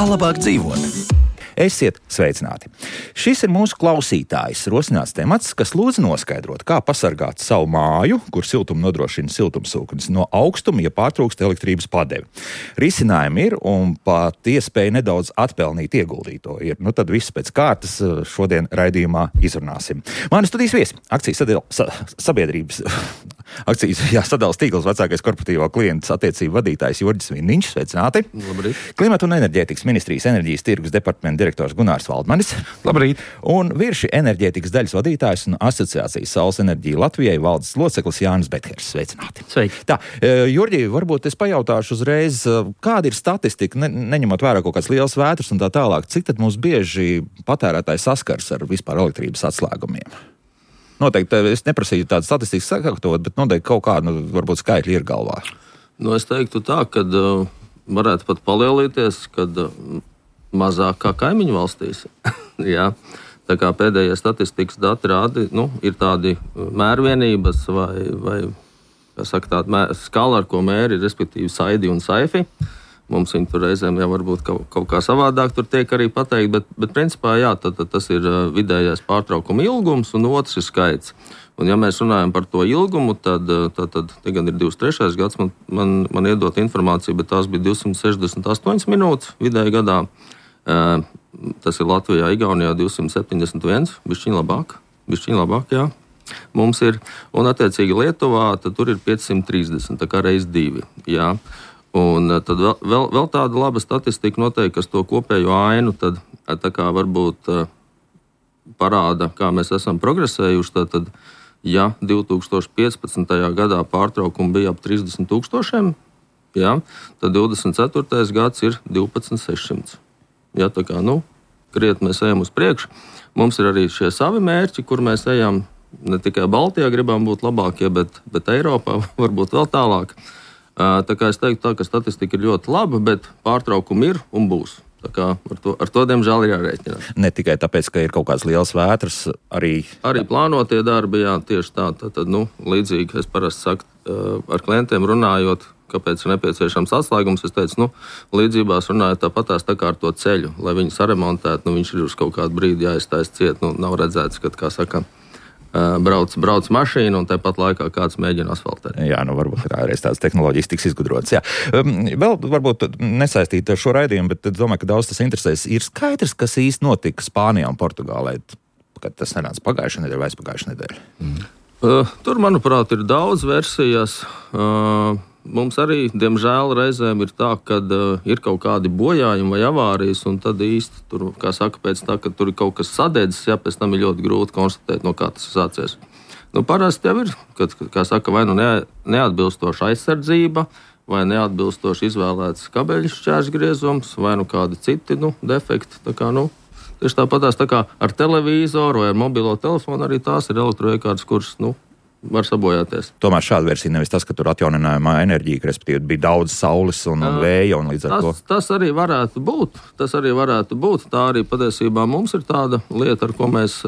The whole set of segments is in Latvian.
Kā labāk dzīvot? Esiet sveicināti! Šis ir mūsu klausītājs rosināts temats, kas lūdz noskaidrot, kā pasargāt savu māju, kur siltumu nodrošina siltumsūknis, no augstuma, ja pārtrūkst elektrības padevi. Risinājumi ir un pat iespēja nedaudz atpelnīt ieguldīto ir. Nu tad viss pēc kārtas šodien raidījumā izrunāsim. Mani studijas viesi, akcijas sadalas tīkls vecākais korporatīvo klientu attiecību vadītājs Jurģis Vindiņš. Sveicināti! Labrīt! Klimata un enerģētikas ministrijas enerģijas tirgus departamenta direktors Gunārs Valdmanis. Labrīt! Un Virši enerģētikas daļas vadītājs un asociācijas Saules enerģija Latvijai valdes loceklis Jānis Bethers. Sveicināti! Sveiki! Tā, Jurģi, varbūt es pajautāšu uzreiz, kāda ir statistika, neņemot vērā kaut kāds liels vētras un tā tālāk, cik tad mums bieži patērētāji saskars ar vispār elektrības atslēgumiem? Noteikti, es neprasīju tādu statistiku sakārtot, bet noteikti kaut kādu, varbūt skaitļi ir galvā. Nu, es teiktu tā, ka varētu pat palielīties, kad mazāk kā kaimiņu valstīs. Jā. Tā kā pēdējie statistikas dati rāda, ir tādi mērvienības vai kā saka, tāda skala, ar ko mēri, respektīvi saidi un saifi. Mums viņi tur reizēm jau varbūt kaut kā savādāk tur tiek arī pateikt, bet principā jā, tas ir vidējais pārtraukuma ilgums un otrs ir skaits. Un ja mēs runājam par to ilgumu, tad te gan ir 23. gads, man iedot informāciju, bet tās bija 268 minūtes vidēji gadā. Tas ir Latvijā, Igaunijā 271, bišķiņ labāk, jā. Mums ir, un attiecīgi Lietuvā, tad tur ir 530, tā kā reiz 2, jā. Un tad vēl tāda laba statistika noteikti, kas to kopējo ainu tad tā kā varbūt parāda, kā mēs esam progresējuši. Tad, ja 2015. gadā pārtraukumi bija ap 30 000, jā, tad 24. gads ir 12 600. Jā, tā kā, krietni mēs ejam uz priekšu. Mums ir arī šie savi mērķi, kur mēs ejam ne tikai Baltijā gribam būt labākie, bet Eiropā varbūt vēl tālāk. Tā kā es teiktu, ka statistika ir ļoti laba, bet pārtraukumi ir un būs. Tā kā ar to diemžēl ir jārēķinās. Ne tikai tāpēc, ka ir kaut kāds liels vētras, arī plānotie darbi, jā, tieši tā. Tad, līdzīgi es parasti saku, ar klientiem runājot, kāpēc ir nepieciešams atslēgums. Es teicu, līdzībās runājot tāpatās tā kā ar to ceļu, lai viņu saremontētu, viņš ir uz kaut kādu brīdi jāiztais ciet, nav redzēts, kad, kā saka, brauc mašīna un tāpat laikā kāds mēģina asfaltēt. Jā, varbūt kādreiz tādas tehnoloģijas tiks izgudrotas. Jā. Vēl varbūt nesaistīt ar šo raidījumu, bet domāju, ka daudz tas interesēs. Ir skaidrs, kas īsti notika Spānijā un Portugālē, kad tas nenāca pagājušā nedēļa vai aizpagājušā nedēļa? Tur, manuprāt, ir daudz versijas. Mums arī, diemžēl, reizēm ir tā, ka ir kaut kādi bojājumi vai avārijas, un tad īsti tur, kā saka, pēc tā, ka tur ir kaut kas sadedzis, pēc tam ir ļoti grūti konstatēt, no kā tas sācies. Parasti jau ir, kad, kā saka, vai neatbilstoša aizsardzība, vai neatbilstoši izvēlēts kabeļu šķērsgriezums, vai kādi citi defekti. Tā kā, tieši tāpatās tā kā ar televizoru vai ar mobilo telefonu arī tās ir elektroiekārtas, kuras, var sabojāties. Tomēr šāda versija nevis tas, ka tur atjauninājumā enerģija, respektīvi bija daudz saules un vēja un līdz ar to. Tas arī varētu būt. Tā arī patiesībā mums ir tāda lieta, ar ko mēs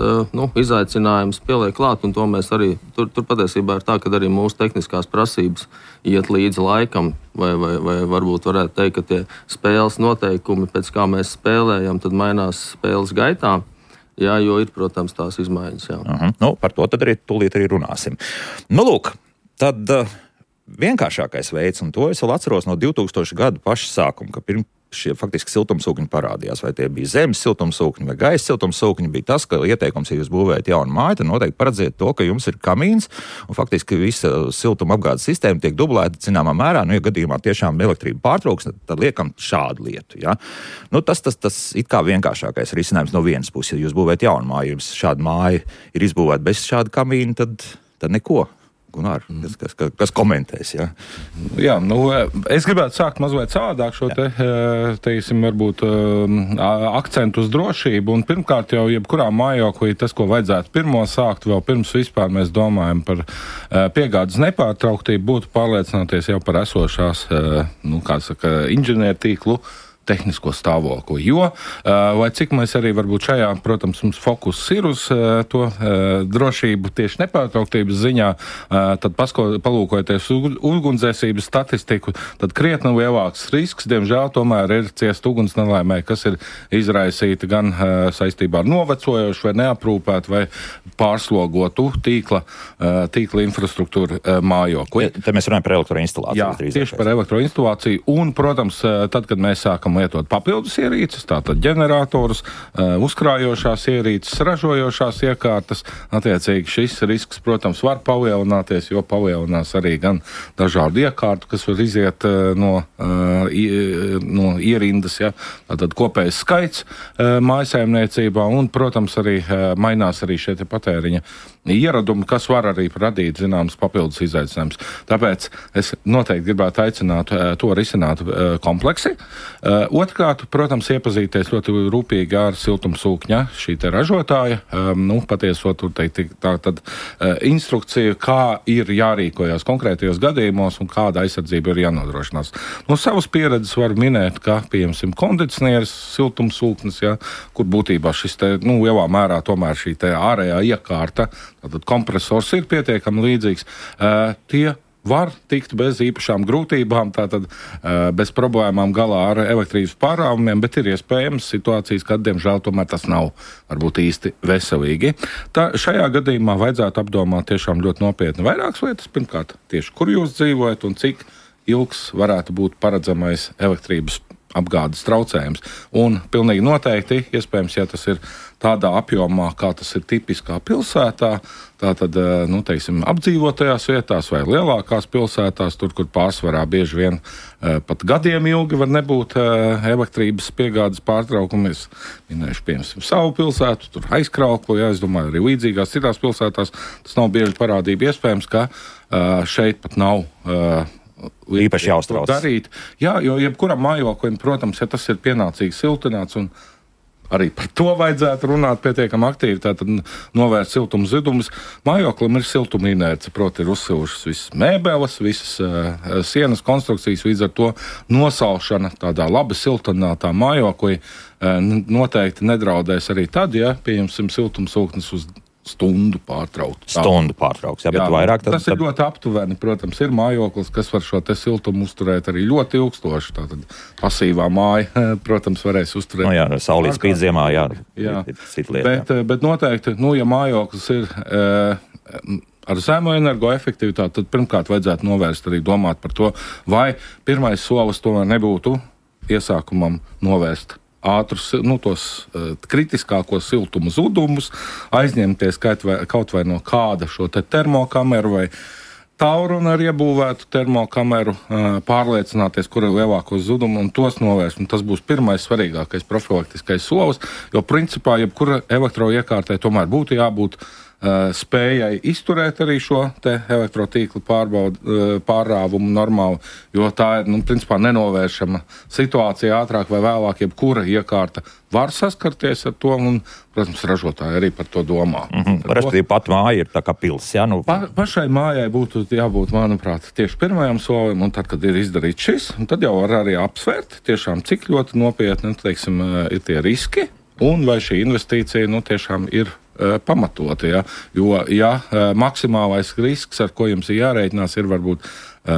izaicinājums pieliek klāt, un to mēs arī, tur patiesībā ir tā, ka arī mūsu tehniskās prasības iet līdz laikam, vai varbūt varētu teikt, ka tie spēles noteikumi, pēc kā mēs spēlējam, tad mainās spēles gaitā. Jā, jo ir, protams, tās izmaiņas. Jā. Par to tad arī tūlīt arī runāsim. Lūk, tad vienkāršākais veids, un to es vēl atceros no 2000 gadu paša sākuma, ka šie faktiski siltumsūkņi parādījās, vai tie bija zemes siltumsūkņi vai gaisa siltumsūkņi, bija tas, ka ieteikums, ja jūs būvējat jaunu māju, tad noteikti paredziet to, ka jums ir kamīns, un faktiski visa siltuma apgādes sistēma tiek dublēta zināmā mērā, ja gadījumā tiešām elektrība pārtrauks, tad liekam šādu lietu. Ja? Tas it kā vienkāršākais risinājums no vienas puses, ja jūs būvējat jaunu māju, jums šāda māja ir izbūvēta bez šāda kamīna, tad neko. Gunār, kas komentēs, jā? Jā, es gribētu sākt mazliet savādāk šo teiksim, varbūt akcentu uz drošību, un pirmkārt jau jebkurā mājoklī tas, ko vajadzētu pirmo sākt, vēl pirms vispār mēs domājam par piegādes nepārtrauktību, būtu pārliecināties jau par esošās, inženiertīklu tehnisko stāvokli, jo, lai cik mēs arī varbūt šajā, protams, mums fokus ir uz to drošību tieši nepārtrauktības ziņā, tad palūkojoties ugunsdzēsības statistiku, tad krietni lielāks risks, diemžēl, tomēr ir ciest ugunsnelaimē, kas ir izraisīta gan saistībā ar novecojošu vai neaprūpētu vai pārslogotu tīkla infrastruktūru mājokli. Te mēs runājam par elektroinstalāciju. Jā, tieši par elektroinstalāciju un, protams, tad, kad mēs sākam lietot papildus ierīces, tātad ģeneratorus, uzkrājošās ierīces, ražojošās iekārtas. Attiecīgi šis risks, protams, var palielināties, jo palielinās arī gan dažādu iekārtu, kas var iziet no ierindas, ja, tātad kopējs skaits mājsaimniecībā un, protams, arī mainās arī šie patēriņa ieradumi, kas var arī radīt zināmas papildus izaicinājumus. Tāpēc es noteikti gribētu aicināt to risināt kompleksi. Otrkārt, protams, iepazīties ļoti rūpīgi ar siltumsūkņa šī te ražotāja, patiesot tur teikt tātad instrukciju, kā ir jārīkojas konkrētajos gadījumos un kāda aizsardzība ir jānodrošinās. No savas pieredzes var minēt, ka, pieņemsim, kondicionieris, siltumsūknis, ja, kur būtībā šis te, lielā mērā tomēr šī te ārējā iekārta, tātad kompresors ir pietiekami līdzīgs, tie var tikt bez īpašām grūtībām, tātad bez problēmām galā ar elektrības pārāvumiem, bet ir iespējams situācijas, kad, diemžēl, tomēr tas nav varbūt īsti veselīgi. Šajā gadījumā vajadzētu apdomāt tiešām ļoti nopietni vairākas lietas. Pirmkārt, tieši kur jūs dzīvojat un cik ilgs varētu būt paredzamais elektrības apgādes traucējums. Un pilnīgi noteikti, iespējams, ja tas ir tādā apjomā, kā tas ir tipiskā pilsētā, tātad, teiksim, apdzīvotajās vietās vai lielākās pilsētās, tur, kur pārsvarā bieži vien pat gadiem ilgi var nebūt elektrības piegādes pārtraukumi. Es minēšu, piemēram, savu pilsētu, tur Aizkrauklu, ja, es domāju, arī līdzīgās citās pilsētās. Tas nav bieži parādība, iespējams, ka šeit pat nav īpaši jāuztrauc. Darīt. Jā, jo jebkuram mājoklim, protams, ja tas ir pienācīgi siltināts un arī par to vajadzētu runāt pietiekami aktīvi, tātad novērst siltuma zudumus. Mājoklim ir siltuma inerce, proti ir uzsilušas visas mēbeles, visas sienas konstrukcijas, līdz ar to nosalšana tādā labi siltinātā mājoklī noteikti nedraudēs arī tad, ja, pieņemsim, siltumsūknis uz stundu pārtraukt. Stundu pārtrauks, jā, bet vairāk tad... Tas ir ļoti aptuveni, protams, ir mājoklis, kas var šo te siltumu uzturēt arī ļoti ilgstoši. Tātad pasīvā māja, protams, varēs uzturēt. Jā, saulīt spīd ziemā, jā. Bet noteikti, ja mājoklis ir ar zemu energoefektivitāti, tad pirmkārt vajadzētu novērst arī domāt par to, vai pirmais solis tomēr nebūtu iesākumam novērst ātrus, tos kritiskākos siltuma zudumus, aizņemties kaut vai no kāda šo te termokameru vai taurunu ar iebūvētu termokameru, pārliecināties, kur ir lielākos zudumu un tos novērst. Un tas būs pirmais svarīgākais profilaktiskais solis, jo principā jebkura elektroiekārtai tomēr būtu jābūt spējai izturēt arī šo te elektrotīklu pārrāvumu normāli, jo tā ir, principā nenovēršama situācija ātrāk vai vēlāk, jebkura iekārta var saskarties ar to, un, protams, ražotāji arī par to domā. Respektīvi, pat māja ir tā kā pils, jā? Pašai mājai būtu jābūt, manuprāt, tieši pirmajam solim, un tad, kad ir izdarīts šis, un tad jau var arī apsvērt tiešām, cik ļoti nopietni, teiksim, ir tie riski, un vai šī investīcija, tiešām ir pamatoti, ja? Jo, maksimālais risks, ar ko jums ir jārēķinās, ir varbūt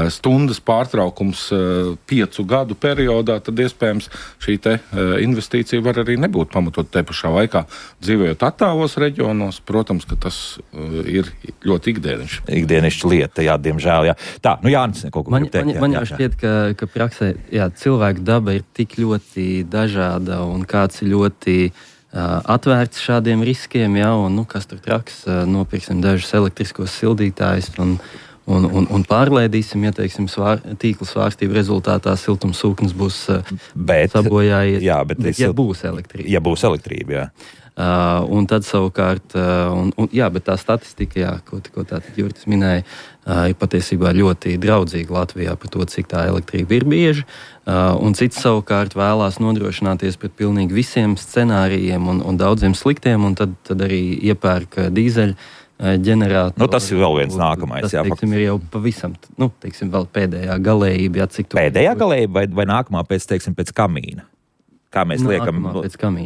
stundas pārtraukums 5 gadu periodā, tad iespējams šī te investīcija var arī nebūt pamatot te pašā laikā. Dzīvojot attālos reģionos, protams, ka tas ir ļoti ikdienišķa lieta, jā, diemžēl, jā. Tā, Jānis, kaut ko grib teikt. Man jau šķiet, ka praksē, cilvēku daba ir tik ļoti dažāda un kāds ir ļoti atvērts šādiem riskiem, un kas tur traks, nopirksim dažus elektriskos sildītājus un pārlēdīsim, ja teiksim, tīkla svārstību rezultātā siltumsūknis būs sabojājies. Jā, bet būs elektrība. Ja būs elektrība, jā. Un tad savukārt, bet tā statistika, ko tātad Jurtis minēja, ir patiesībā ļoti draudzīga Latvijā par to, cik tā elektrība ir bieži. Un cits savukārt vēlās nodrošināties pret pilnīgi visiem scenārijiem un daudziem sliktiem, un tad arī iepērk dīzeļu ģenerātoru. Tas ir vēl viens nākamais. Tas, teiksim, ir jau pavisam, vēl pēdējā galējība. Pēdējā galējība vai nākamā pēc kamīna? Kā mēs liekam,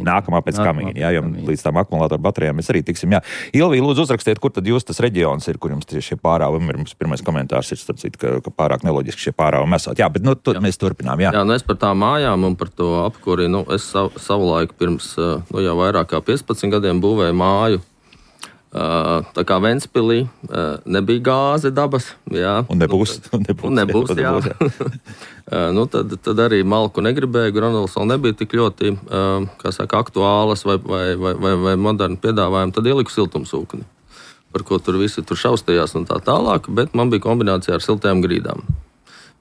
nākamā pēc kamīna, jā, jo līdz tām akumulātoru baterijām mēs arī tiksim, jā. Ilvija, lūdzu uzrakstiet, kur tad jūs tas reģions ir, kur jums tieši šie pārāvumi ir. Mums pirmais komentārs ir, starp citu, ka pārāk neloģiski šie pārāvumi esot. Jā, bet mēs turpinām, jā. Jā, es par tām mājām un par to apkuri, es savulaik pirms, jau vairāk kā 15 gadiem būvēju māju. Tā kā Ventspilī nebija gāze dabas, jā. Un nebūs, jā. Tad arī malku negribēju, granulas vēl nebija tik ļoti, aktuālas vai moderni piedāvājumi, tad ieliku siltumsūkni, par ko tur visi tur šaustījās un tā tālāk, bet man bija kombinācija ar siltajām grīdām.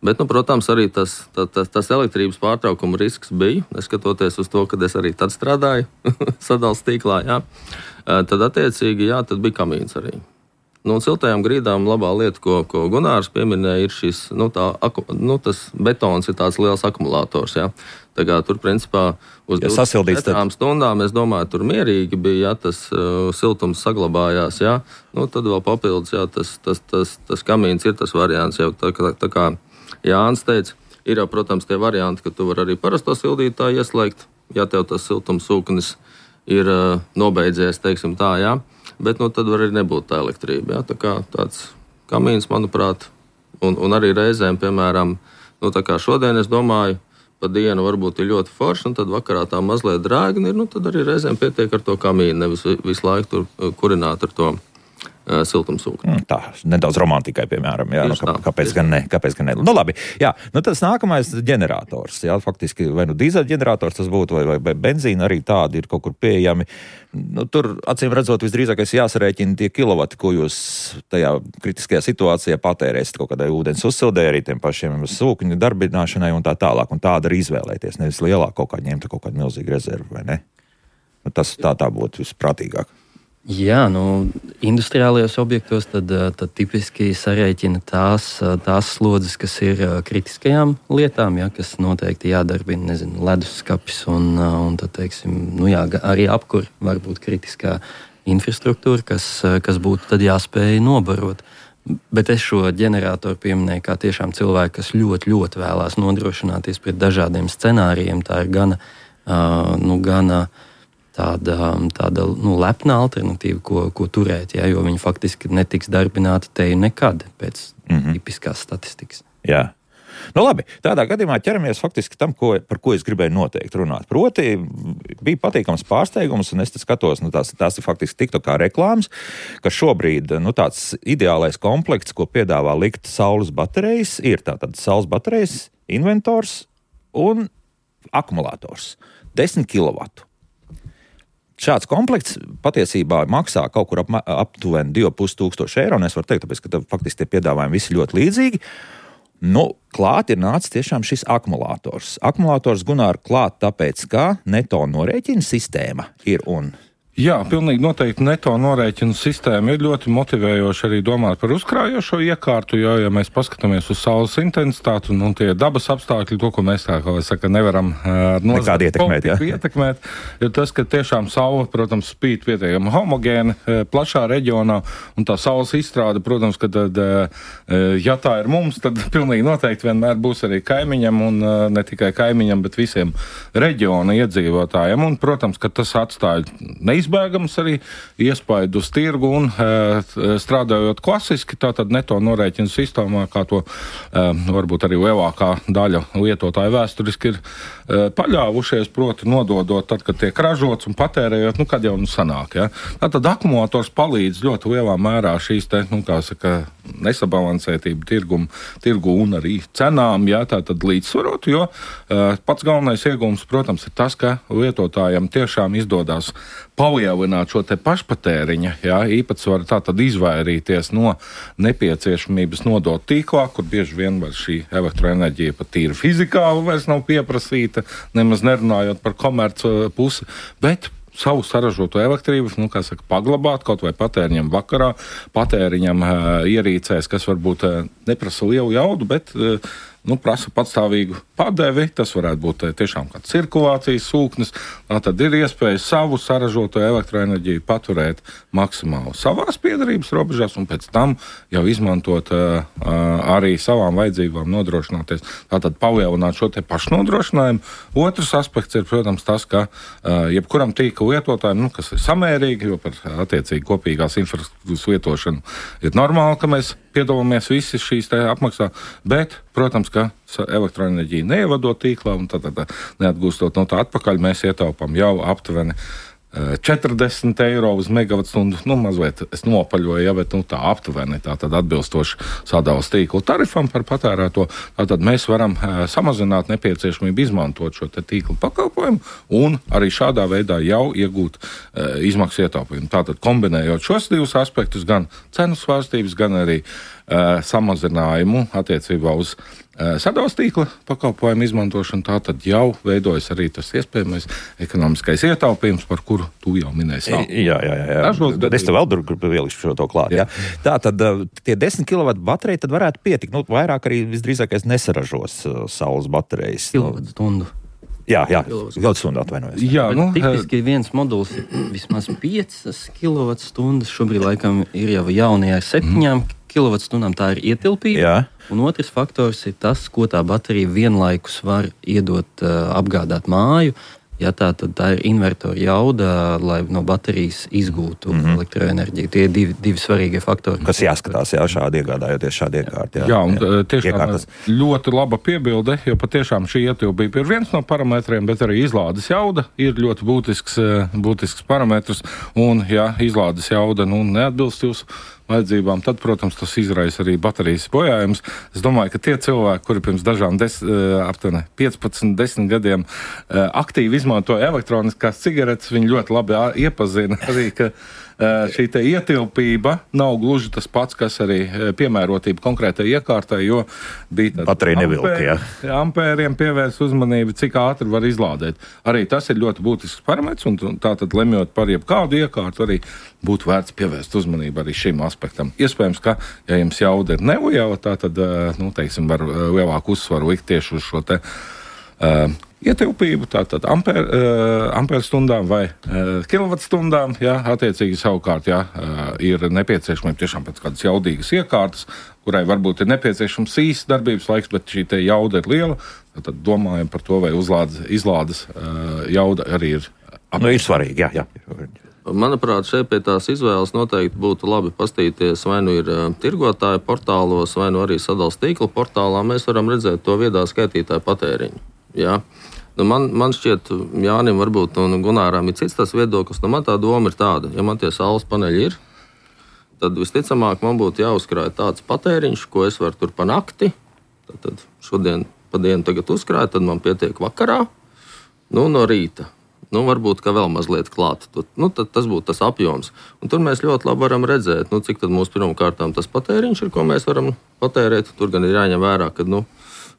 Bet, protams, arī tas elektrības pārtraukuma risks bija, neskatoties uz to, ka es arī tad strādāju sadales tīklā, jā. Tad attiecīgi, jā, tad bija kamīns arī. Un siltajām grīdām labā lieta, ko Gunārs pieminēja, ir šis, tas betons ir tāds liels akumulators, jā. Tā kā tur, principā, uz 24 stundām, es domāju, tur mierīgi bija, jā, tas siltums saglabājās, jā. Tad vēl papildus, jā, tas kamīns ir tas variants, jau tā kā Jānis teica, ir jau, protams, tie varianti, ka tu vari arī parasto sildītāju ieslēgt, ja tev tas siltumsūknis ir nobeidzies, teiksim tā, jā. Bet tad var arī nebūt tā elektrība, jā. Tā kā tāds kamīns, manuprāt, un arī reizēm, piemēram, tā kā šodien es domāju, pa dienu varbūt ir ļoti forši, un tad vakarā tā mazliet drēgni ir, tad arī reizēm pietiek ar to kamīnu, nevis visu laiku tur kurināt ar to siltumsūkni. Tā, nedaudz romantikai, piemēram, jā, kāpēc gan ne. Labi, jā, tas nākamais ģenerators, jā, faktiski vai dīzeļģenerators tas būtu, vai benzīna arī tādi ir kaut kur pieejami. Tur, acīm redzot, visdrīzākais jāsarēķina tie kilovati, ko jūs tajā kritiskajā situācijā patērēsiet kaut kādai ūdens uzsildē, arī tiem pašiem sūkņu darbināšanai un tā tālāk, un tāda arī izvēlēties, nevis lielāk kaut kā ņemt kaut kādu milzīgu rezervu, vai ne? Tas tā būtu visprātīgāk. Jā, industriālajos objektos tad tipiski sarēķina tās slodzes, kas ir kritiskajām lietām, ja, kas noteikti jādarbina, leduskapis un tad, teiksim, arī apkur var būt kritiskā infrastruktūra, kas būtu tad jāspēj nobarot. Bet es šo ģeneratoru pieminēju kā tiešām cilvēku, kas ļoti, ļoti vēlās nodrošināties pret dažādiem scenārijiem. Tā ir gana tāda lepna alternatīva, ko turēt, jā, jo viņi faktiski netiks darbināti teju nekad pēc tipiskās statistikas. Jā. Labi, tādā gadījumā ķeramies faktiski tam, par ko es gribēju noteikti runāt. Proti, bija patīkams pārsteigums, un es skatos, tās ir faktiski tikto kā reklāmas, ka šobrīd tāds ideālais komplekts, ko piedāvā likt saules baterijas, ir tātad saules baterijas, inventors un akumulators. 10 kW. Šāds komplekts patiesībā maksā kaut kur aptuveni 2500 eiro, un es varu teikt, tāpēc, ka faktiski tie piedāvājumi visi ļoti līdzīgi. Klāt ir nācis tiešām šis akumulators. Akumulators, Gunār, klāt tāpēc, ka neto norēķina sistēma ir un... Jā, pilnīgi noteikti neto norēķinu sistēma ir ļoti motivējoša arī domāt par uzkrājošo iekārtu, jo, ja mēs paskatāmies uz saules intensitāti un tie dabas apstākļi, to, ko mēs nevaram ietekmēt, ir tas, ka tiešām saule, protams, spīd pietiekami homogēni, plašā reģionā, un tā saules izstrāde, protams, ka tad, ja tā ir mums, tad pilnīgi noteikti vienmēr būs arī kaimiņam, un ne tikai kaimiņam, bet visiem reģiona iedzīvotājiem, un, protams, ka tas atstāja neizbēgams arī iespaidu uz tirgu un strādājot klasiski, tātad neto norēķinu sistēmā, kā to varbūt arī lielākā daļa lietotāju vēsturiski ir paļāvušies, proti nododot tad, kad tiek ražots un patērējot, kad jau sanāk. Ja? Tātad akumulators palīdz ļoti lielā mērā šīs nesabalansētību tirgu un arī cenām, ja, tātad līdzsvarot, jo pats galvenais iegūms, protams, ir tas, ka lietotājiem tiešām izdodās palielināt šo te pašpatēriņa, ja, īpatsvaru, tātad izvairīties no nepieciešamības nodot tīklā, kur bieži vien šī elektroenerģija pat tīri fizikāli vairs nav pieprasīta, nemaz nerunājot par komercu pusi, bet savu saražoto elektrību, paglabāt kaut vai patēriņam vakarā, patēriņam ierīcēs, kas varbūt neprasa lielu jaudu, bet prasa patstāvīgu padevi. Tas varētu būt tiešām kāds cirkulācijas sūknis. Tad ir iespēja savu saražoto elektroenerģiju paturēt maksimāli savās piederības robežās un pēc tam jau izmantot arī savām vajadzībām nodrošināties. Tātad palielināt šo te pašnodrošinājumu. Otrs aspekts ir, protams, tas, ka jebkuram tīkla lietotājiem, kas ir samērīgi, jo par attiecīgi kopīgās infrastruktūras lietošanu ir normāli, ka mēs piedalāmies visi šīs apmaksā, bet, protams, ka elektroenerģija neievadot tīklā un tad neatgūstot no tā atpakaļ, mēs ietaupām jau aptuveni 40 eiro uz megavatstundu, mazliet es nopaļoju, bet tā aptuveni, tātad atbilstoši sadales tīklu tarifam par patērēto, tātad mēs varam samazināt nepieciešamību izmantot šo te tīklu pakalpojumu un arī šādā veidā jau iegūt izmaksu ietaupījumu. Tātad kombinējot šos divus aspektus, gan cenu svārstības, gan arī samazinājumu attiecībā uz sadales tīkla pakalpojumu izmantošanu, tātad jau veidojas arī tas iespējamais ekonomiskais ietaupījums, par kuru tu jau minēji. Jā. Es tev vēl ielikšu šo klāt. Jā. Tātad tie 10 kW baterija tad varētu pietikt. Vairāk arī visdrīzākais nesaražos saules baterijas. Kilovatstundu. Jā, kilovatstundu atvainojos. Tipiski viens moduls vismaz 5 kWh. Šobrīd laikam ir jau jaunie ar 7 kWh. Tā ir ietilpība. Jā. Un otrs faktors ir tas, ko tā baterija vienlaikus var iedot, apgādāt māju. Ja tā ir invertora jauda, lai no baterijas izgūtu elektroenerģiju. Tie ir divi svarīgie faktori. Kas jāskatās, šādi iegādājoties šādi iekārti. Jā, un tiešām ļoti laba piebilde, jo patiešām šī ietilpība ir viens no parametriem, bet arī izlādes jauda ir ļoti būtisks parametrs. Un, ja izlādes jauda neatbilst jūsu vajadzībām, tad, protams, tas izraisa arī baterijas bojājumus. Es domāju, ka tie cilvēki, kuri pirms dažām 15-10 gadiem aktīvi izmantoja elektroniskās cigaretes, viņi ļoti labi iepazina arī, ka šī te ietilpība nav gluži tas pats, kas arī piemērotība konkrētai iekārtai, jo bija baterija nevilka, ampēriem pievērs uzmanību, cik ātri var izlādēt. Arī tas ir ļoti būtisks parametrs, un tātad lemjot par jebkādu iekārtu, arī būtu vērts pievērst uzmanību arī šim aspektam. Iespējams, ka, ja jums jauda ir neliela, tātad, var lielāku uzsvaru likt tieši uz šo te ietilpību, tātad amperstundām vai kilovatstundām, attiecīgi savukārt, ir nepieciešamība tiešām pēc kādas jaudīgas iekārtas, kurai varbūt ir nepieciešams īsts darbības laiks, bet šī te jauda ir liela, tad domājam par to, vai izlādes jauda arī ir. Ir svarīgi, jā. Manuprāt, šeit pie tās izvēles noteikti būtu labi paskatīties, vai nu ir tirgotāju portālos, vai nu arī sadales tīkla portālā. Mēs varam redzēt to viedā skaitītāju patēriņu. Jā. Man šķiet, Jānim varbūt un Gunāram ir cits tas viedoklis. Man tā doma ir tāda, ja man tie saules paneļi ir, tad visticamāk man būtu jāuzkrāj tāds patēriņš, ko es varu tur pa nakti. Tad šodien pa dienu tagad uzkrāju, tad man pietiek vakarā, no rīta. Varbūt, ka vēl mazliet klāt. Tad tas būtu tas apjoms. Un tur mēs ļoti labi varam redzēt, cik tad mūsu pirmkārtām tas patēriņš ir, ko mēs varam patērēt. Tur gan ir jāņem vērā, ka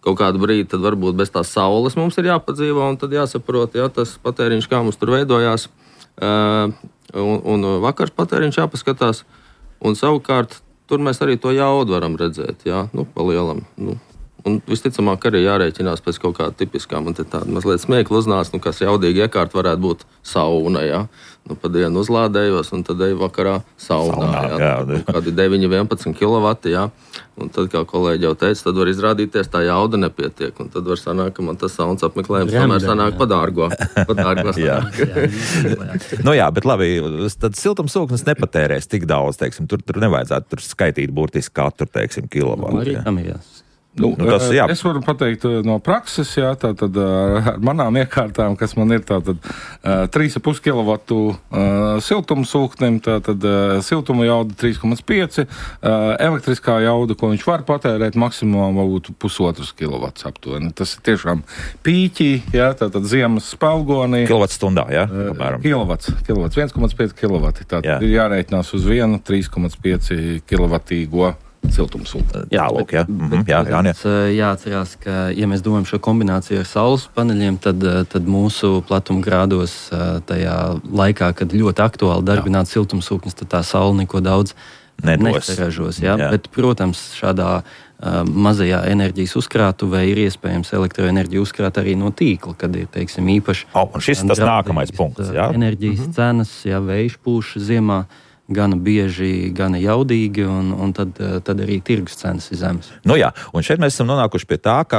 kaut kādu brīdi tad varbūt bez tās saules mums ir jāpadzīvo, un tad jāsaprot, tas patēriņš, kā mums tur veidojās. Un vakars patēriņš jāpaskatās. Un savukārt, tur mēs arī to jaudu varam redzēt, pa lielam. Un visticamāk arī jārēķinās pēc kaut kāda tipiskā, man te tāda mazliet smiekla uznāca, kas jaudīgi iekārt varētu būt sauna, pa dienu uzlādējos, un tad eju vakarā saunā, kādi 9-11 kW, un tad, kā kolēģi jau teica, tad var izrādīties tā jauda nepietiek, un tad var sanākt, ka man tas saunas apmeklējums tomēr sanāk padārgo. Jā, bet labi, tad siltumsūknis nepatērēs tik daudz, teiksim, tur nevajadzētu tur skaitīt burtiski katru, teiksim, kilovatu. Arī tam ir jās. Es varu pateikt no prakses, tātad ar manām iekārtām, kas man ir 3,5 kW siltumsūknim, tātad siltuma jauda 3,5, elektriskā jauda, ko viņš var patērēt, maksimumā būtu 1,5 kW aptuveni. Tas ir tiešām pīķī, tātad ziemas spalgonī. Kilovatstundā, Kilowats, 1,5 kW. Tātad ir jārēķinās uz vienu 3,5 kW siltumsūkni. Jāatcerās, ka, ja mēs domājam šo kombināciju ar saules paneļiem, tad mūsu platuma grādos tajā laikā, kad ļoti aktuāli darbināt siltumsūknis, tad tā saule neko daudz nesaražos. Bet, protams, šādā mazajā enerģijas uzkrātuvē ir iespējams elektroenerģiju uzkrāt arī no tīkla, kad ir, teiksim, īpaši... Un šis tas nākamais punkts, jā? Enerģijas cenas, ja vējš pūš ziemā, gana bieži, gana jaudīgi, un tad arī tirgus cenas ir zemes. Nu jā, un šeit mēs esam nonākuši pie tā, ka,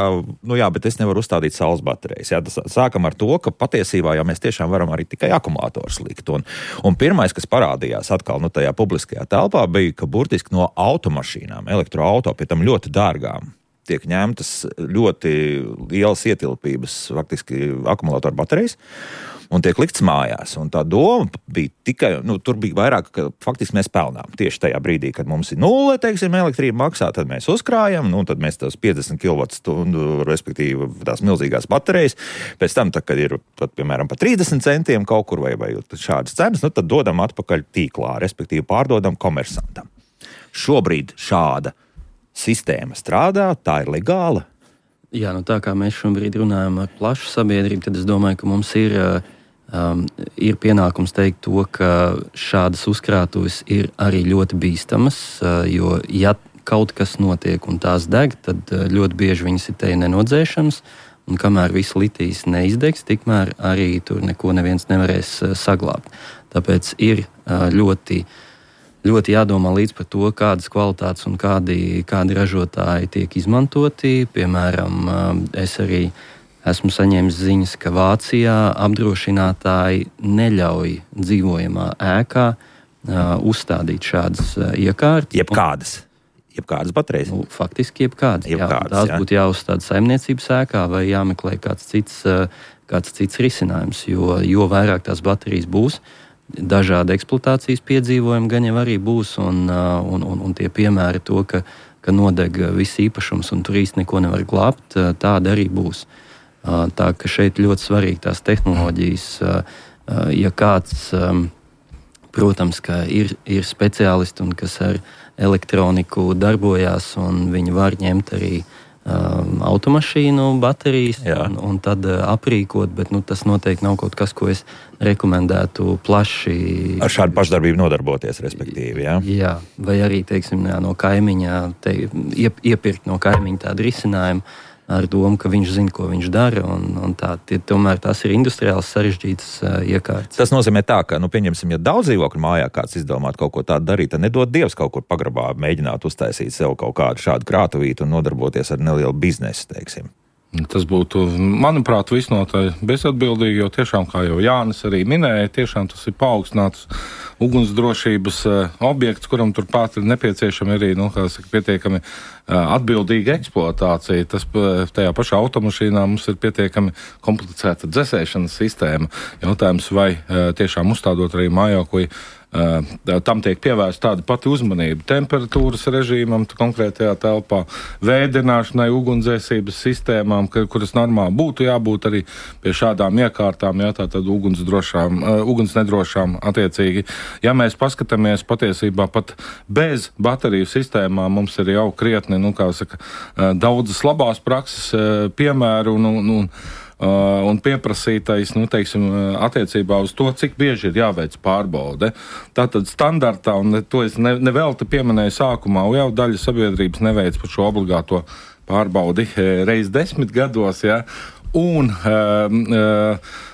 bet es nevaru uzstādīt saules baterijas. Jā, sākam ar to, ka patiesībā jau mēs tiešām varam arī tikai akumulators likt. Un pirmais, kas parādījās atkal tajā publiskajā telpā, bija, ka burtiski no automašīnām, elektroauto, pie tam ļoti dārgām, tiek ņemtas ļoti lielas ietilpības, faktiski akumulātoru baterijas, un tiek likts mājās. Un tā doma bija tikai, tur bija vairāk, ka faktiski mēs pelnām. Tieši tajā brīdī, kad mums ir 0, teiksim, elektrība maksā, tad mēs uzkrājam, tad mēs tās 50 kWh, respektīvi tās milzīgās baterijas, pēc tam, kad ir, piemēram, pa 30 centiem kaut kur vai šādas cenas, tad dodam atpakaļ tīklā, respektīvi pārdodam komersantam. Šobrīd šāda sistēma strādā, tā ir legāla. Jā, tā kā mēs šobrīd runājam ar plašu sabiedrību, tad es domāju, ka mums ir pienākums teikt to, ka šādas uzkrātuves ir arī ļoti bīstamas, jo ja kaut kas notiek un tās deg, tad ļoti bieži viņas ir te nenodzēšanas, un kamēr viss litijs neizdegs, tikmēr arī tur neko neviens nevarēs saglābt. Tāpēc ir ļoti jādomā līdz par to, kādas kvalitātes un kādi ražotāji tiek izmantoti. Piemēram, es arī esmu saņēmis ziņas, ka Vācijā apdrošinātāji neļauj dzīvojamā ēkā uzstādīt šādas iekārtas. Jebkādas baterijas? Faktiski jebkādas. Tās būtu jāuzstāda saimniecības ēkā vai jāmeklē kāds cits risinājums, jo vairāk tās baterijas būs, dažādi eksploatācijas piedzīvojumi gan jau arī būs, un tie piemēri to, ka nodeg viss īpašums un tur īsti neko nevar glābt, tāda arī būs. Tā ka šeit ļoti svarīgi tās tehnoloģijas, ja kāds, protams, ka ir speciālisti un kas ar elektroniku darbojās, un viņi var ņemt arī automašīnu baterijas un tad aprīkot, bet tas noteikti nav kaut kas, ko es rekomendētu plaši... Ar šādu pašdarbību nodarboties, respektīvi, jā? Jā, vai arī, teiksim, no kaimiņa, iepirkt no kaimiņa tādu risinājumu ar domu, ka viņš zina, ko viņš dara, un tomēr tās ir industriāls sarežģītas iekārtas. Tas nozīmē tā, ka, pieņemsim, ja daudz dzīvokļu mājā kāds izdomāt kaut ko tādu darīt, tad nedod Dievs kaut kur pagrabā mēģināt uztaisīt sev kaut kādu šādu krātuvītu un nodarboties ar nelielu biznesu, teiksim. Tas būtu, manuprāt, visnotaļ bezatbildīgi, jo tiešām, kā jau Jānis arī minēja, tiešām tas ir paaugstināts ugunsdrošības objekts, kuram turpat ir nepieciešama arī, pietiekami atbildīga eksploatācija. Tas tajā pašā automašīnā mums ir pietiekami komplicēta dzesēšanas sistēma. Jautājums, vai tiešām uzstādot arī mājokli, tam tiek pievērsta tāda pati uzmanība temperatūras režīmam konkrētajā telpā, vēdināšanai, ugunsdzēsības sistēmām, kuras normāli būtu jābūt arī pie šādām iekārtām, tātad uguns nedrošām attiecīgi. Ja mēs paskatāmies patiesībā pat bez bateriju sistēmām, mums ir jau krietni, daudzas labās prakses piemēru un pieprasītais, attiecībā uz to, cik bieži ir jāveic pārbaude. Tātad standartā, un to es nevelti pieminēju sākumā, jau daļa sabiedrības neveic par šo obligāto pārbaudi reiz 10 gados, un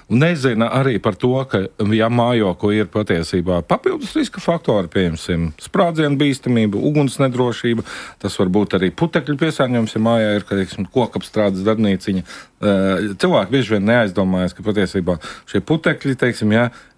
nezina arī par to, ka, ja mājokli ir patiesībā papildus riska faktori, pieņemsim, sprādzienu bīstamība, uguns nedrošība, tas var būt arī putekļu piesārņojums, ja mājā ir, kokapstrādes darbnīciņa. Cilvēki bieži vien neaizdomājas, ka patiesībā šie putekļi,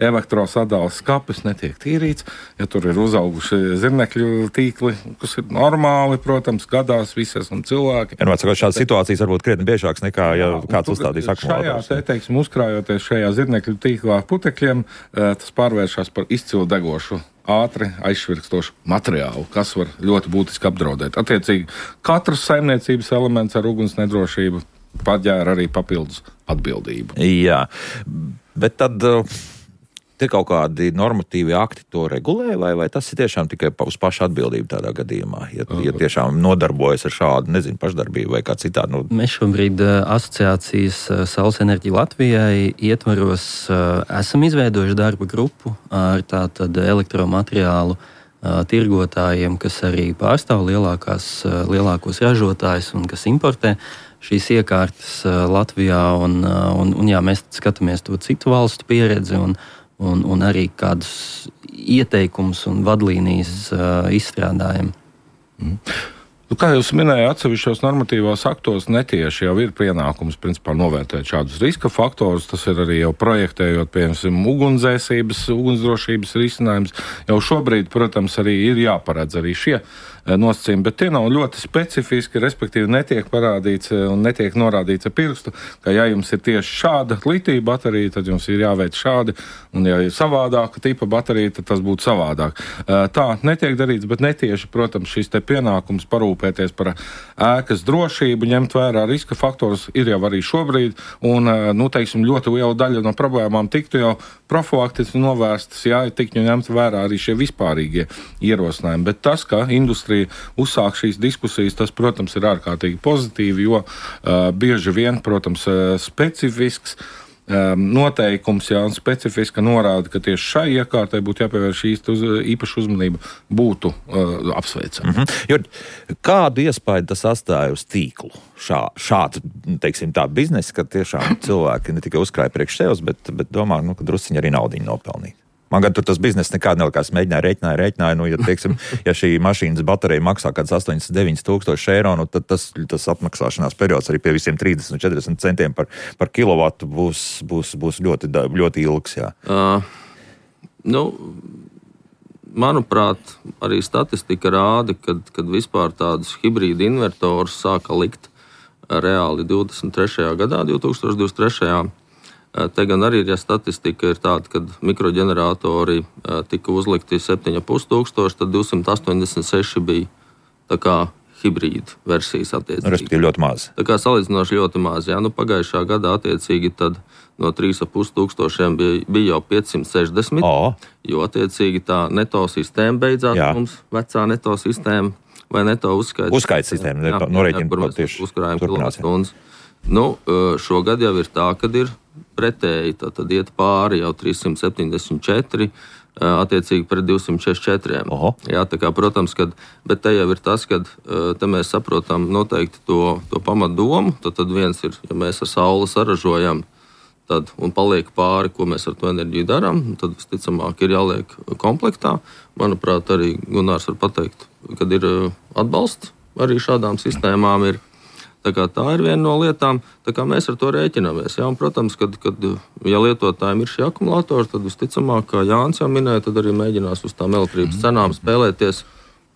elektrosadales skapis netiek tīrīts, ja tur ir uzauguši zirnekļu tīkli, kas ir normāli, protams, gadās visas un cilvēki. Šādas situācijas varbūt krietni biežākas nekā, ja kāds uzstādīs akumulators. Uzkrājot šajā zirnekļu tīklā putekļiem, tas pārvēršas par izcilu degošu, ātri aizšvirkstošu materiālu, kas var ļoti būtiski apdraudēt. Attiecīgi, katrs saimniecības elements ar uguns nedrošību paģēra arī papildus atbildību. Jā, bet tad te kaut kādi normatīvi akti to regulē, vai tas ir tiešām tikai uz pašu atbildību tādā gadījumā, ja tiešām nodarbojas ar šādu, pašdarbību vai kā citādi? Mēs šobrīd asociācijas Saules enerģija Latvijai ietvaros esam izveidojuši darba grupu ar tātad elektromateriālu tirgotājiem, kas arī pārstāv lielākos ražotājus un kas importē šīs iekārtas Latvijā. Mēs skatāmies to citu valstu pieredzi un arī kādus ieteikumus un vadlīnijas izstrādājam. Kā jūs minējāt, atsevišķos normatīvos aktos netieši jau ir pienākums principā novērtēt šādus riska faktorus. Tas ir arī jau projektējot, piemēram, ugunsdrošības risinājums. Jau šobrīd, protams, arī ir jāparedz arī šie nosacījumi, bet tie nav ļoti specifiski, respektīvi netiek parādīts un netiek norādīts ar pirkstu, ka ja jums ir tieši šāda litija baterija, tad jums ir jāveic šādi, un ja ir savādāka tipa baterija, tad tas būtu savādāk. Tā netiek darīts, bet netieši, protams, šis te pienākums parūpēties par ēkas drošību, ņemt vērā riska faktorus ir jau arī šobrīd, un, ļoti liela daļa no problēmām tiktu jau profilaktiski novērstas, ja tiktu ņemt vērā arī šie vispārīgie ierosinājumi. Bet tas, ka industrija uzsāk šīs diskusijas, tas, protams, ir ārkārtīgi pozitīvi, jo bieži vien, protams, specifisks noteikums, un specifiska norāda, ka tieši šai iekārtai būtu jāpievērš īpaša uzmanība, būtu apsveicama. Kādu iespēju tas atstāja uz tīklu? Šāds, teiksim tā, biznesa, ka tiešām cilvēki ne tikai uzkrāja priekš sevis, bet domā, ka drusciņi arī naudiņu nopelnīt. Man gan tur tas bizness nekādi nelikās, rēķināja, ja šī mašīnas baterija maksā kāds 89 000 eiro, tad tas apmaksāšanās periods arī pie visiem 30-40 centiem par kilovatu būs ļoti, ļoti ilgs, jā. Manuprāt, arī statistika rāda, kad vispār tādus hibrīdu invertorus sāka likt reāli 2023. gadā. Te gan arī statistika ir tāda, kad mikroģeneratori tika uzlikti 7,500, tad 286 bija tā kā hibrīda versijas attiecīgi. Respektīvi ļoti maz. Tā kā salīdzinoši ļoti maz. Jā, pagājušā gadā attiecīgi tad no 3,500 bija jau 560, jo attiecīgi tā neto sistēma beidzās mums, vecā neto sistēma vai neto uzskaits sistēma, norēķina tieši kilovatstundas. Šogad jau ir tā, kad ir pretēji, tad iet pāri jau 374, attiecīgi pret 264. Jā, tā kā, protams, bet te jau ir tas, kad te mēs saprotam noteikti to pamatdomu, tad viens ir, ja mēs ar sauli saražojam, un paliek pāri, ko mēs ar to enerģiju darām, tad visticamāk ir jāliek komplektā. Manuprāt, arī Gunārs var pateikt, kad ir atbalsts arī šādām sistēmām ir. Tā ir viena no lietām, tā kā mēs ar to rēķinamies. Jā, un, protams, kad ja lietotājiem ir šie akumulatori, tad visticamāk, kā Jānis jau minēja, tad arī mēģinās uz tām elektrības cenām spēlēties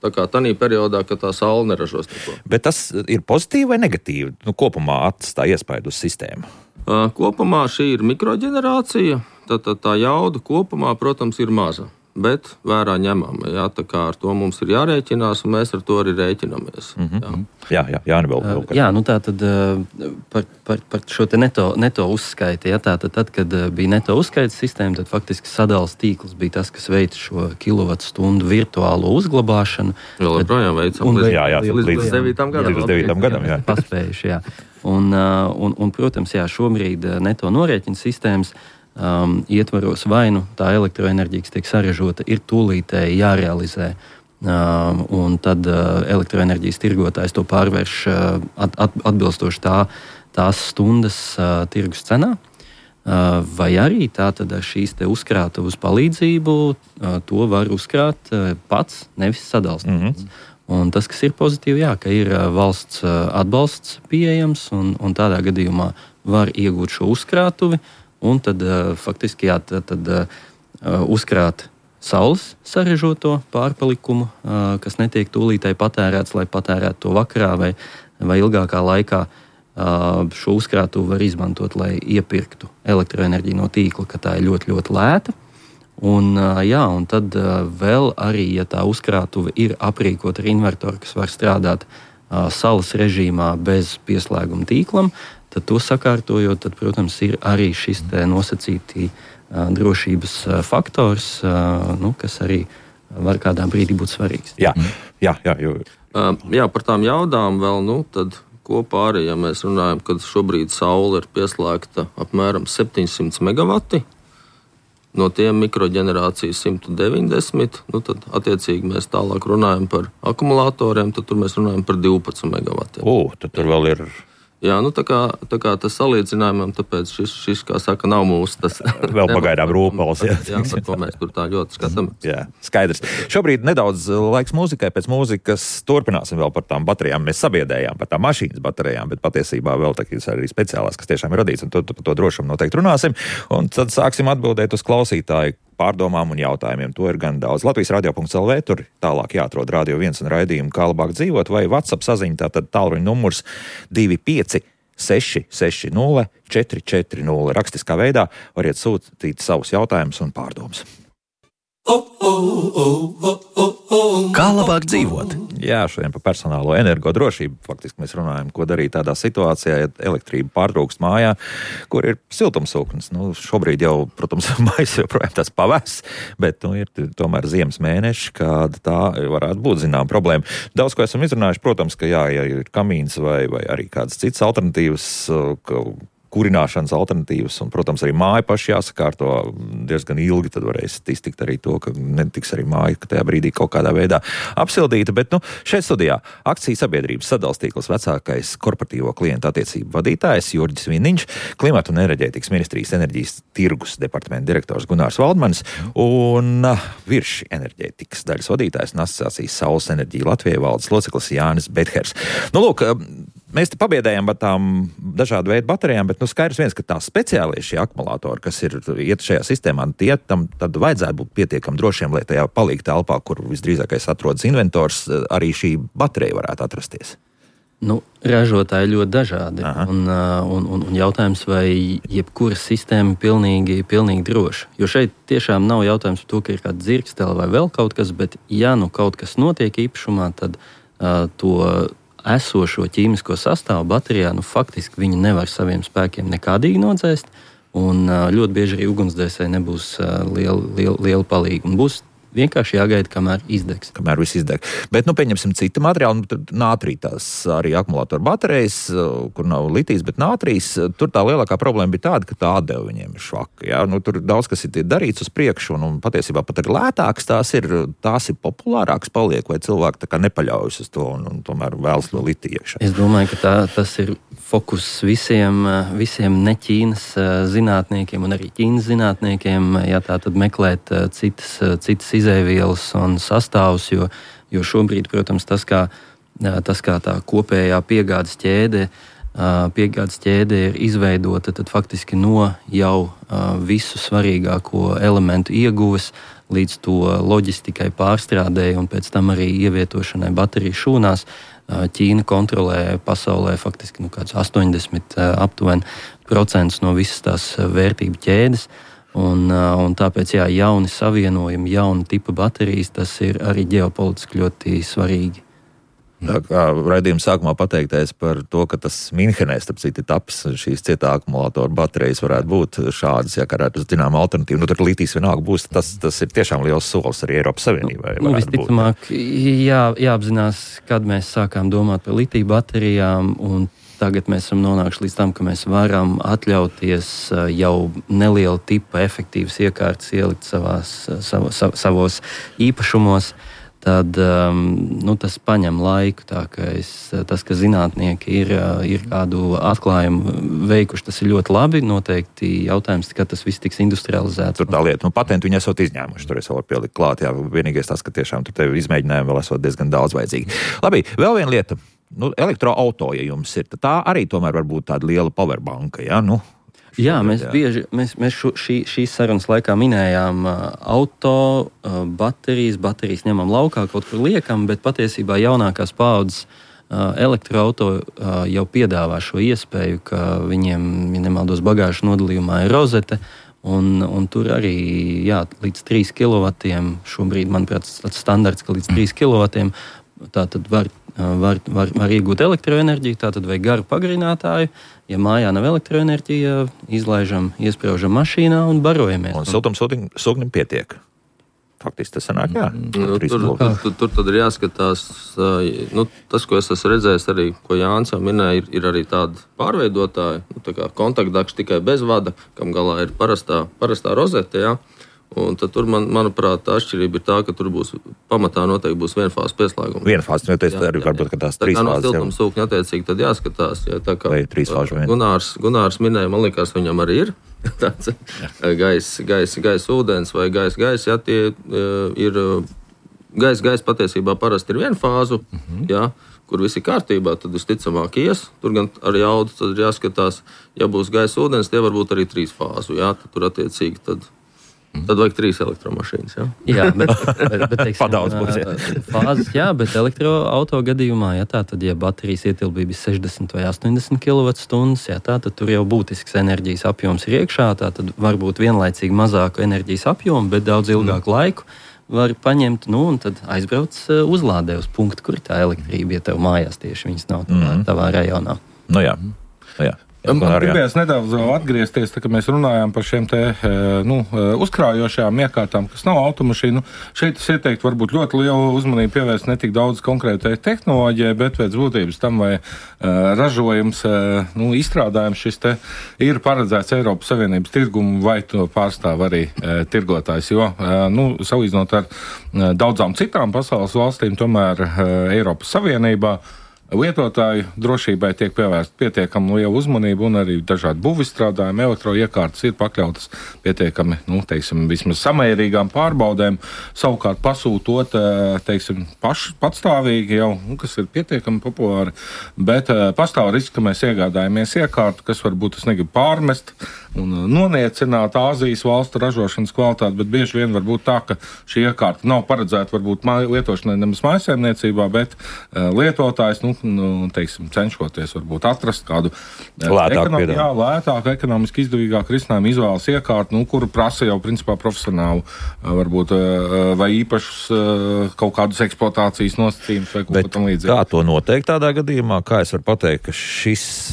tādā periodā, kad tā saule neražos neko. Bet tas ir pozitīvi vai negatīvi? Kopumā atstāja iespaidu uz sistēmu? Kopumā šī ir mikroģenerācija, tā jauda kopumā, protams, ir maza. Bet vērā ņemama. Jā, tā kā ar to mums ir jārēķinās, un mēs ar to arī rēķinamies. Jā, tā tad par šo te neto uzskaiti. Jā, tad, kad bija neto uzskaites sistēma, tad faktiski sadales tīkls bija tas, kas veica šo kilovatstundu virtuālo uzglabāšanu. Vēl joprojām veicam līdz 9. gadam. Jā. Paspējuši, jā. Un, protams, šobrīd neto norēķina sistēmas ietvaros vai tā elektroenerģija, kas tiek saražota, ir tūlītēji jārealizē. Un tad elektroenerģijas tirgotājs to pārvērš atbilstoši tās stundas tirgus cenā. Vai arī tātad ar šīs te uzkrātavas palīdzību to var uzkrāt pats, nevis sadalstīts. Un tas, kas ir pozitīvi, ka ir valsts atbalsts pieejams, un tādā gadījumā var iegūt šo uzkrātuvi, un tad faktiski uzkrāt saules sarežoto pārpalikumu, kas netiek tūlītēji patērēts, lai patērētu to vakarā vai ilgākā laikā. Šo uzkrātuvi var izmantot, lai iepirktu elektroenerģiju no tīkla, ka tā ir ļoti, ļoti lēta. Un tad vēl arī, ja tā uzkrātuve ir aprīkota ar invertoru, kas var strādāt saules režīmā bez pieslēguma tīklam, tad to sakārtojot, tad, protams, ir arī šis nosacītī drošības faktors, kas arī var kādā brīdī būt svarīgs. Jā, par tām jaudām vēl, tad kopā arī, ja mēs runājam, kad šobrīd saule ir pieslēgta apmēram 700 megavati, no tiem mikroģenerācijas 190, tad attiecīgi mēs tālāk runājam par akumulatoriem, tad tur mēs runājam par 12 megavatiem. Tad tur vēl ir... Jā, tā kā tas salīdzinājumam, tāpēc šis, kā saka, nav mūsu tas... Vēl pagaidām rūpals, jā. Jā, par ko mēs tur tā ļoti skatāmies. Jā, skaidrs. Šobrīd nedaudz laiks mūzikai, pēc mūzikas turpināsim vēl par tām baterijām. Mēs sabiedējām par tām mašīnas baterijām, bet patiesībā vēl tādas arī speciālās, kas tiešām ir radīts, un par to drošumu noteikti runāsim. Un tad sāksim atbildēt uz klausītāju pārdomām un jautājumiem. To ir gan daudz. Latvijas radio.lv, tur tālāk jāatrod Radio 1 un raidījumu Kā labāk dzīvot, vai WhatsApp saziņa, tātad tālruņa numurs 25 660 440. Rakstiskā veidā variet sūtīt savus jautājumus un pārdomas. Kā labāk dzīvot? Jā, šodien par personālo energodrošību. Faktiski mēs runājam, ko darīt tādā situācijā, ja elektrība pārtrūkst mājā, kur ir siltumsūknis. Šobrīd jau, protams, mājas joprojām tāds pavēss, bet ir tomēr ziemas mēneši, kāda tā varētu būt zinām problēma. Daudz, ko esam izrunājuši, protams, ka jā, ja ir kamīns vai arī kādas citas alternatīvas, kurināšanas alternatīvas, un, protams, arī māja paši jāsakārto diezgan ilgi, tad varēs iztikt arī to, ka netiks arī māja, ka tajā brīdī kaut kādā veidā apsildīta, bet, šeit studijā akciju sabiedrības sadales tīkls vecākais korporatīvo klientu attiecību vadītājs Jurģis Viniņš, Klimata un enerģētikas ministrijas enerģijas tirgus departamenta direktors Gunārs Valdmanis un Virši enerģētikas daļas vadītājs un asociācijas Saules enerģija Latvijai valdes loceklis Jānis Bethers. Lūk, mēs te pabiedējām par tām dažādu veidu baterijām, bet skaidrs viens, ka tā speciālie šie akumulātori, kas iet šajā sistēmā, tam tad vajadzētu būt pietiekami drošiem, lai tajā palīga telpā, kur visdrīzākais atrodas inventors, arī šī baterija varētu atrasties. Ražotāji ļoti dažādi. Un jautājums, vai jebkura sistēma ir pilnīgi droša. Jo šeit tiešām nav jautājums par to, ka ir kāda dzirkstele vai vēl kaut kas, bet ja kaut kas notiek īpašumā, tad to esošo ķīmisko sastāvu baterijā, faktiski viņi nevar saviem spēkiem nekādīgi nodzēst, un ļoti bieži arī ugunsdzēsēji nebūs liela palīga, un būs vienkārši jāgaida, kamēr izdegs. Kamēr viss izdeg. Bet, pieņemsim citu materiālu, nātrija tās arī akumulātoru baterijas, kur nav litijs, bet nātrijas, tur tā lielākā problēma bija tāda, ka tā atdeva viņiem ir švaka. Jā? Tur daudz kas ir darīts uz priekšu, un patiesībā pat arī lētāks tās ir populārāks paliek, vai cilvēki tā kā nepaļaujas uz to, un tomēr vēlas to litiju iekšā. Es domāju, ka tas ir fokus visiem ne Ķīnas zinātniekiem un arī Ķīnas zinātniekiem, ja tā tad meklēt citas izēvielas un sastāvus, jo šobrīd, protams, tas kā tā kopējā piegādes ķēde ir izveidota, tad faktiski no jau visu svarīgāko elementu ieguves līdz to loģistikai pārstrādēji un pēc tam arī ievietošanai bateriju šūnās. Ķīna kontrolē pasaulē faktiski kāds 80% aptuveni no visas tās vērtību ķēdes. Un tāpēc, jauni savienojumi, jauna tipa baterijas, tas ir arī ģeopolitiski ļoti svarīgi. Tā kā raidījuma sākumā pateiktais par to, ka tas Minhenē, starp citu, taps šīs cietā akumulātoru baterijas varētu būt šādas, kā varētu zinām alternatīvu. Tur litijs vienalga būs, tas ir tiešām liels solis arī Eiropas Savienībai. Visticamāk, jāapzinās, kad mēs sākām domāt par litiju baterijām, un tagad mēs esam nonākuši līdz tam, ka mēs varam atļauties jau nelielu tipa efektīvas iekārtas ielikt savos īpašumos. Tad tas paņem laiku. Tas, ka zinātnieki ir kādu atklājumu veikuši, tas ir ļoti labi. Noteikti jautājums, ka tas viss tiks industrializēts. Tur tā lieta, patentu viņi esot izņēmuši, tur es vēl varu pielikt klāt. Jā, vienīgais tas, ka tiešām tur tev izmēģinājumi vēl esot diezgan daudz vajadzīgi. Labi, vēl viena lieta. Elektroauto, ja jums ir, tā arī tomēr var būt tāda liela powerbanka, jā? Jā, mēs šīs sarunas laikā minējām auto, baterijas ņemam laukā, kaut kur liekam, bet patiesībā jaunākās paaudzes elektroauto jau piedāvā šo iespēju, ka viņiem, ja nemaldos, bagāžu nodalījumā ir rozete, un tur arī līdz 3 kW, šobrīd, manuprāt, tāds standarts, ka līdz 3 kW, tā tad var iegūt elektroenerģiju, tātad vai garu pagarinātāju. Ja mājā nav elektroenerģija, izlaižam, iespraužam mašīnā un barojamies. Un siltumsūknim pietiek. faktiski tas sanāk, jā. Tur tad ir jāskatās, tas, ko es esmu redzējis arī, ko Jānis jau minēja, ir arī tādi pārveidotāji, tā kā kontaktdakši tikai bez vada, kam galā ir parastā rozete, jā. Un tad tur, manuprāt, tā atšķirība ir tā, ka tur būs pamatā noteikti būs vienfāzes pieslēgums. Vienfāzes, jo tas arī varbūt, ka tās trīs fāzes. Tā kā no siltumsūkņa attiecīgi tad jāskatās. Ja, tā kā vai trīs fāžu vien. Gunārs minēja, man liekas, viņam arī ir tāds gaiss, ūdens vai gaiss, ja tie ir gaiss patiesībā parasti ir vienfāzu, ja, kur viss ir kārtībā, tad visticamāk ies. Tur gan ar jaudu tad ir jāskatās, ja būs gaiss, ūdens, tie varbūt arī trīs fāzu, ja, tad tur attiecīgi tad vajag 3 elektromašīnas. Jā, bet teiksim, padaudz būs. Fāzes, jā, bet elektroauto gadījumā, tad, ja baterijas ietilpība ir 60 vai 80 kWh, tad tur jau būtisks enerģijas apjoms ir iekšā, tad varbūt vienlaicīgi mazāku enerģijas apjomu, bet daudz ilgāku laiku var paņemt, un tad aizbrauc uzlādē uz punktu, kur tā elektrība, ja tev mājās tieši viņas nav tavā rajonā. Jā. Man gribējās nedaudz atgriezties, tā, kad mēs runājām par šiem uzkrājošajām iekārtām, kas nav automašīnu. Šeit es ieteiktu varbūt ļoti lielu uzmanību pievērst ne tik daudz konkrētai tehnoloģijai, bet pēc būtības tam, vai ražojums, izstrādājums šis te ir paredzēts Eiropas Savienības tirgumu, vai to pārstāv arī tirgotājs. Jo, salīdzinot ar daudzām citām pasaules valstīm, tomēr Eiropas Savienībā lietotāju drošībai tiek pievērsta pietiekami liela uzmanība, un arī dažādi būvizstrādājumi, elektroiekārtas ir pakļautas pietiekami, vismaz samērīgām pārbaudēm, savukārt pasūtot, patstāvīgi jau, kas ir pietiekami populāri, bet pastāv risks, ka mēs iegādājamies iekārtu, kas varbūt es negribu pārmest un noniecināt Āzijas valstu ražošanas kvalitāti, bet bieži vien var būt tā, ka šī iekārta nav paredzēta varbūt lietošanai nemaz mājsaimniecībā, bet lietotājs, cenšoties varbūt atrast kādu lētāku, ekonomiski izdevīgāku risinājumu, izvēlas iekārtu, kuru prasa jau principā profesionālu, varbūt vai īpašus kaut kādus eksploatācijas nosacījumus vai kaut ko tam līdzīgi. Kā to noteikt tādā gadījumā? Kā es varu pateikt, ka šis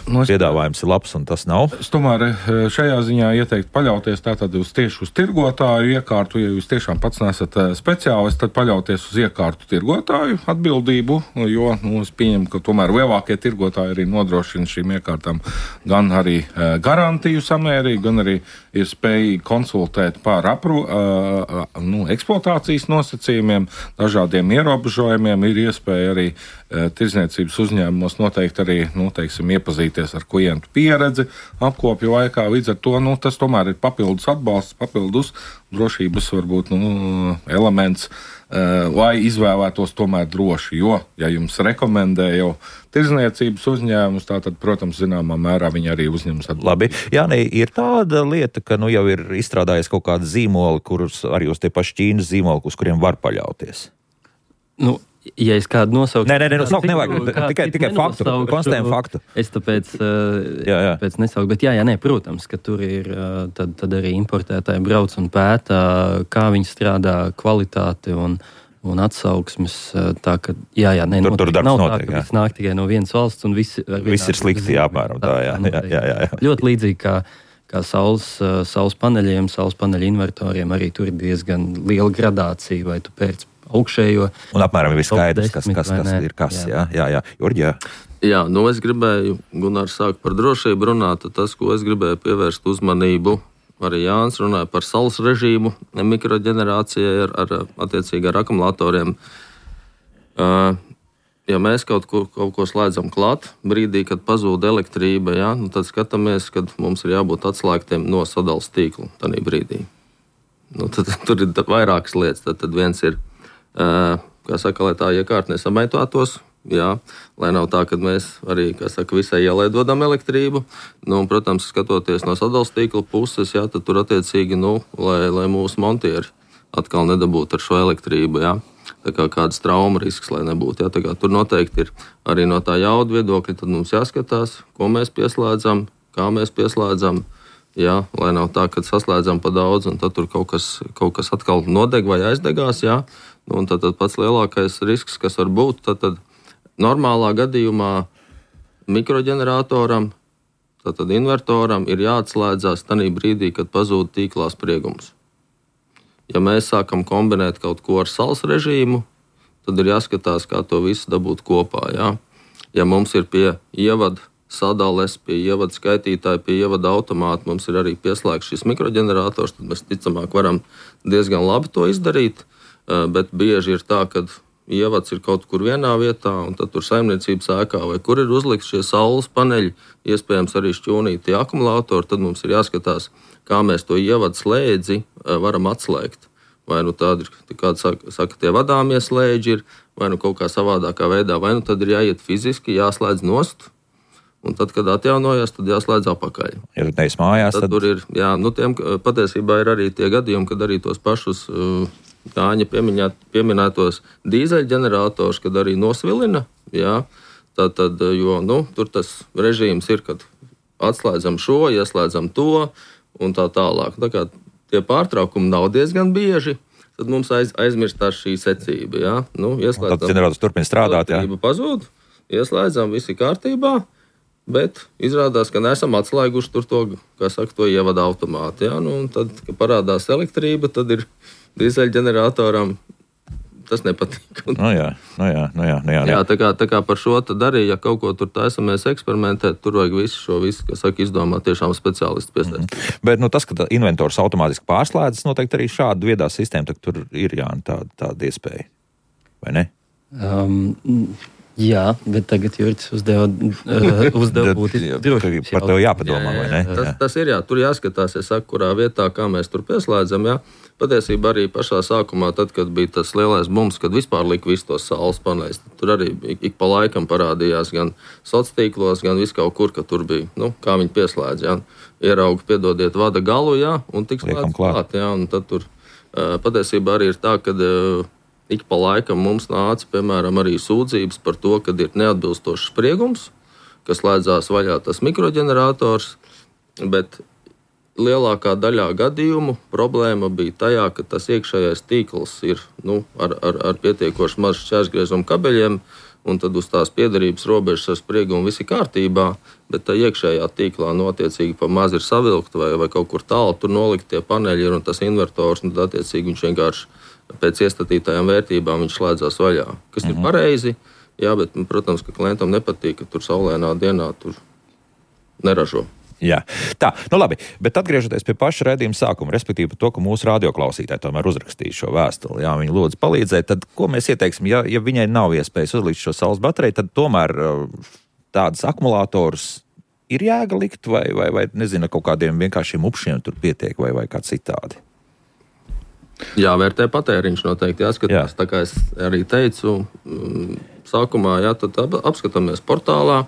piedāvājums ir labs un tas nav? Es tomēr šajā ziņā ieteiktu paļauties tātad tieši uz tirgotāju iekārtu. Ja jūs tiešām pats nesat speciālists, tad paļauties uz iekārtu tirgotāju atbildību, jo es pieņemu, ka tomēr lielākie tirgotāji arī nodrošina šīm iekārtām gan arī garantiju samērīgi, gan arī ir spējīgi konsultēt par eksploatācijas nosacījumiem, dažādiem ierobežojumiem, ir iespēja arī tirdzniecības uzņēmumos noteikti arī, iepazīties ar klientu pieredzi apkopju laikā. Līdz ar to, tas tomēr ir papildus atbalsts, papildus drošības varbūt, elements, lai izvēlētos tomēr droši, jo, ja jums rekomendē jau tirdzniecības uzņēmumus, tātad, protams, zināmā mērā viņi arī uzņemas atbildību. Labi. Jāni, ir tāda lieta, ka jau ir izstrādājies kaut kāda zīmola, kurus arī uz tie paši Ķīnas zīmoli, uz kuriem var paļauties. Ja es kādu nosauktu... Nē, nevajag. Tikai faktu, konstatējumu faktu. Es tāpēc nesauktu, bet protams, ka tur ir tad arī importētāji brauc un pētā, kā viņi strādā, kvalitāti un atsauksmes. Tā, ka, tur darbs nav notiek, tā, ka viss nāk tikai no vienas valsts un viss ir slikti, apmēram tā, jā. Ļoti līdzīgi kā saules paneļiem, saules paneļu invertoriem, arī tur ir diezgan liela gradācija, vai tu pēc augšējo. Un apmēram ir skaidrs, kas ir kas. Jā. Jurģi, jā, es gribēju, Gunārs sāk par drošību runāt, tas, ko es gribēju pievērst uzmanību, arī Jānis runāja par saules režīmu, mikroģenerācijai attiecīgi ar akumulatoriem. Ja mēs kaut ko slēdzam klāt, brīdī, kad pazūd elektrība, tad skatāmies, kad mums ir jābūt atslēgtiem no sadales tīkla tādā brīdī. Tur ir vairākas lietas. Tad viens ir, lai tā iekārta nesamaitotos, lai nav tā, ka mēs arī, visai ielai dodam elektrību. Protams, skatoties no sadales tīkla puses, tad tur attiecīgi, lai mūsu montieri atkal nedabūtu ar šo elektrību, Tā kā kāds trauma risks, lai nebūtu. Tur noteikti ir arī no tā jauda viedokļa, tad mums jāskatās, ko mēs pieslēdzam, kā mēs pieslēdzam, lai nav tā, ka saslēdzam pa daudz, un tad tur kaut kas atkal nodeg vai aizdegās, Un tad pats lielākais risks, kas var būt, tad normālā gadījumā mikroģeneratoram, tad invertoram ir jāatslēdzās tajā brīdī, kad pazūd tīklā spriegums. Ja mēs sākam kombinēt kaut ko ar saules režīmu, tad ir jāskatās, kā to visu dabūt kopā. Jā. Ja mums ir pie ievada sadales, pie ievada skaitītāja, pie ievada automāta, mums ir arī pieslēgts šis mikroģenerators, tad mēs ticamāk varam diezgan labi to izdarīt, bet bieži ir tā, ka ievads ir kaut kur vienā vietā, un tad tur saimniecības ēkā, vai kur ir uzlikts šie saules paneļi, iespējams arī šķūnīti akumulātori, tad mums ir jāskatās, kā mēs to ievadu slēdzi varam atslēgt. Vai nu tādi ir, kādi saka, tie vadāmie slēdži ir, vai nu kaut kā savādākā veidā, vai nu tad ir jāiet fiziski, jāslēdz nost, un tad, kad atjaunojas, tad jāslēdz apakaļ. Ja tu neesi mājās, tad tur ir, jā, nu tiem patiesībā ir arī tie gadījumi, kad arī tos pašus Jāņa pieminētos dīzeļģenerators, kad arī nosvilina, jā, tad, jo, nu, tur tas režīms ir, kad atslēdzam šo, ieslēdzam to, un tā tālāk. Tā kā tie pārtraukumi nav diezgan bieži, tad mums aizmirstās šī secība. Ja? Nu, tad ģenerators turpina strādāt. Pazūd, ieslēdzam, viss ir kārtībā, bet izrādās, ka neesam atslēguši tur to, kā saka, to ievada automātu. Ja? Nu, tad, kad parādās elektrība, tad ir dīzeļģeneratoram tas nepatīk. Jā, tā kā par šo tad arī, ja kaut ko tur taisamies eksperimentēt, tur vajag visu, kas saka, izdomāt tiešām speciālistu piesaistīt. Bet tas, ka inventors automātiski pārslēdzas, noteikti arī šāda viedā sistēma, tad tur ir tāda iespēja, vai ne? Jā, bet tagad Jurģis uzdeva būtisku drošības jautājumu. Par to jāpadomā, vai ne? Tas ir, tur jāskatās, kurā vietā, kā mēs tur pieslēdzam, jā. Patiesībā arī pašā sākumā, tad, kad bija tas lielais bums, kad vispār lika visus tos saules paneļus, tur arī ik pa laikam parādījās gan sociālos tīklos, gan viskaut kur, ka tur bija, kā viņi pieslēdz, jā. Ierauga, piedodiet, vada galu, jā, un tik slēdz klāt, jā, un tad tur patiesībā arī ir tā, kad ik pa laikam mums nāca, piemēram, arī sūdzības par to, kad ir neatbilstošs spriegums, kas slēdzās vaļā tas mikroģenerators, bet lielākā daļā gadījumu problēma bija tajā, ka tas iekšējais tīkls ir ar pietiekoši mazu šķērsgriezumu kabeļiem, un tad uz tās piederības robežas ar spriegumu viss ir kārtībā, bet tā iekšējā tīklā attiecīgi pa maz ir savilkta vai kaut kur tālu tur nolikt tie paneļi ir un tas invertors, un tad attiecīgi viņš vienkārši pēc iestatītajām vērtībām viņš slēdzās vaļā, kas ir pareizi, jā, bet, protams, ka klientam nepatīk, ka tur saulēnā dienā tur neražo. Jā, tā, labi, bet atgriežoties pie paša raidījuma sākuma, respektīvi par to, ka mūsu radioklausītāji tomēr uzrakstīja šo vēstuli, jā, viņi lūdzu palīdzēt, tad ko mēs ieteiksim, ja viņai nav iespējas uzlikt šo saules bateriju, tad tomēr tādas akumulātorus ir jēga likt vai nezinu, kaut kādiem vienkāršiem upšiem tur pietiek vai kā citādi? Jāvērtē patēriņš noteikti, jāskatās, tā kā es arī teicu, sākumā, tad apskatāmies portālā,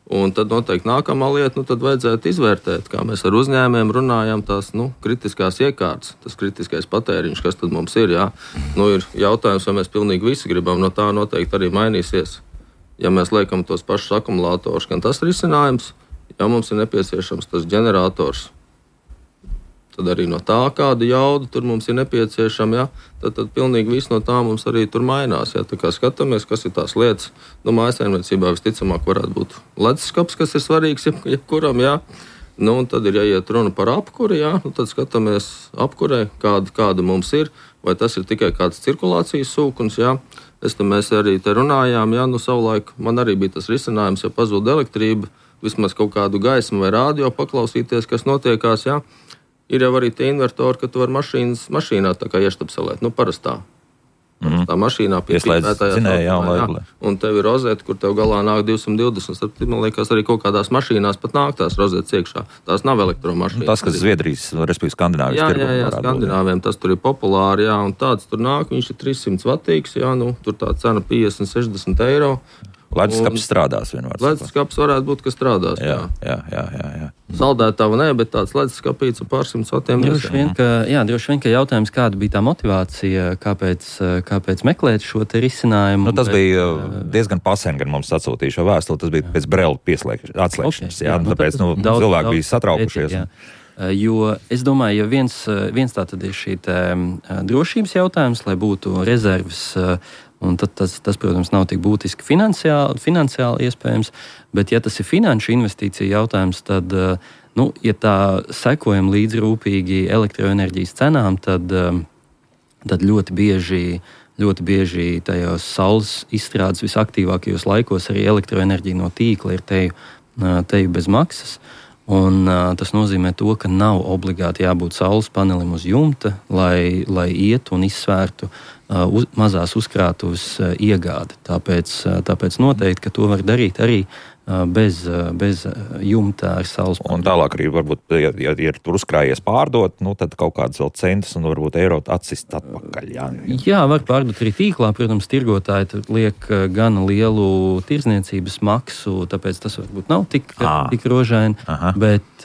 un tad noteikti nākamā lieta, tad vajadzētu izvērtēt, kā mēs ar uzņēmējiem runājam, tās kritiskās iekārtas, tas kritiskais patēriņš, kas tad mums ir, jā. Ir jautājums, vai mēs pilnīgi visi gribam, no tā noteikti arī mainīsies. Ja mēs liekam tos pašus akumulātorus, gan tas risinājums, ja mums ir nepieciešams tas ģenerators, tad arī no tā, kāda jauda tur mums ir nepieciešama, ja? tad pilnīgi viss no tā mums arī tur mainās. Ja? Tā kā skatāmies, kas ir tās lietas, mājsaimniecībā visticamāk varētu būt leduskapis, kas ir svarīgs jebkuram, ja? Un tad ir jāiet runa par apkuri, ja? Tad skatāmies apkurē, kāda mums ir, vai tas ir tikai kāds cirkulācijas sūkums, ja? Mēs arī te runājām, ja? Savulaik man arī bija tas risinājums, ja pazūd elektrība, vismaz kaut kādu gaismu vai rādio paklausīties, kas notiekās, ja? Ir jau arī tie invertori, ka tu vari mašīnā tā kā ieštapselēt, parastā. Tā mašīnā pieslēdz, un tev ir rozete, kur tev galā nāk 220. Man liekas, arī kaut kādās mašīnās pat nāk tās rozetes iekšā. Tās nav elektromašīnas. Tas, kas Zviedrijas, respektīvi Skandināvijas tirgu. Jā, Skandināviem tas tur ir populāri, jā, un tāds tur nāk, viņš ir 300 vatīgs, jā, tur tā cena 50-60 eiro. Leduskapis strādās vienmēr. Leduskapis varētu būt, ka strādās. Jā. Saldētava nē, bet tāds leduskapīts ar pārsimt vatiem. Droši vien, ka jautājums, kāda bija tā motivācija, kāpēc meklēt šo te risinājumu. Tas bija diezgan pasen, gan mums atsūtīja šo vēstuli, tas bija pēc Brela atslēgšanas. Tāpēc cilvēki bija satraukušies. Jo es domāju, ja viens tā tad ir šī drošības jautājums, lai būtu rezerves. Un tad tas, protams, nav tik būtiski finansiāli iespējams, bet ja tas ir finanšu investīcija jautājums, tad, ja tā sekojam līdz rūpīgi elektroenerģijas cenām, tad tad ļoti bieži tajos saules izstrādes visaktīvākajos laikos arī elektroenerģija no tīkla ir teju bez maksas. Un, tas nozīmē to, ka nav obligāti jābūt saules panelim uz jumta, lai ietu un izsvērtu mazās uzkrātuves iegādi. Tāpēc noteikti, ka to var darīt arī bez jumta ar saules paneļu. Un tālāk arī varbūt, ja ir tur uzkrājies pārdot, tad kaut kāds vēl centus un varbūt eiro atsist atpakaļ. Jā, var pārdot arī tīklā. Protams, tirgotāji liek gana lielu tirdzniecības maksu, tāpēc tas varbūt nav tik rožaini. Bet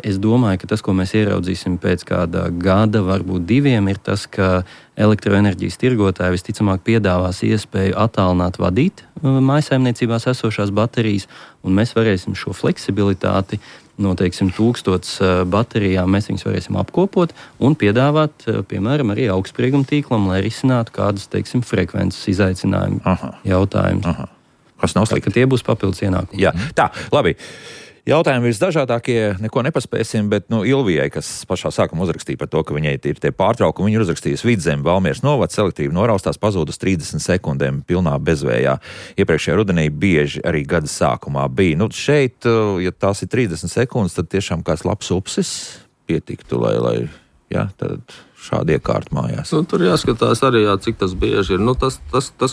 es domāju, ka tas, ko mēs ieraudzīsim pēc kāda gada, varbūt 2, ir tas, ka elektroenerģijas tirgotāji visticamāk piedāvās iespēju attālināt vadīt mājsaimniecībās esošās baterijas, un mēs varēsim šo fleksibilitāti no, 1000 baterijām mēs viņus varēsim apkopot un piedāvāt, piemēram, arī augstsprieguma tīklam, lai risinātu kādus, frekvences izaicinājumu jautājumus. Kas nav slikti. Ka tie būs papildus ienākumi. Jā, tā, labi. Jautājumi visdažādākie, neko nepaspēsim, bet Ilvijai, kas pašā sākumā uzrakstīja par to, ka viņai ir tie pārtraukumi, viņa ir uzrakstījusi Vidzeme, Valmieras novads, selektīvi noraustās, pazūdus 30 sekundēm pilnā bezvējā. Iepriekšējā rudenī bieži arī gada sākumā bija. Šeit, ja tās ir 30 sekundes, tad tiešām kāds labs upsis pietiktu, lai tad šādi iekārt mājās. Tur jāskatās arī, cik tas bieži ir. Tas,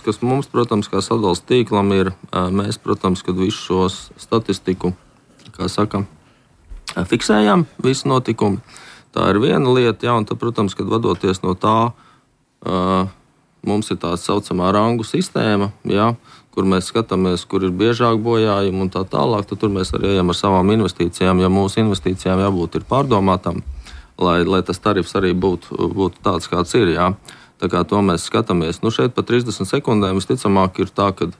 kas mums, protams, kā sadales tīklam ir, mēs, protams, kad visu šos statistiku fiksējam visu notikumu. Tā ir viena lieta, un tad, protams, kad vadoties no tā, mums ir tā saucamā rangu sistēma, kur mēs skatāmies, kur ir biežāk bojājumi un tā tālāk, tad tur mēs arī ejam ar savām investīcijām, ja mūsu investīcijām jābūt ir pārdomātām, lai tas tarifs arī būtu tāds, kāds ir, Tā kā to mēs skatāmies. Šeit pa 30 sekundēm visticamāk ir tā, ka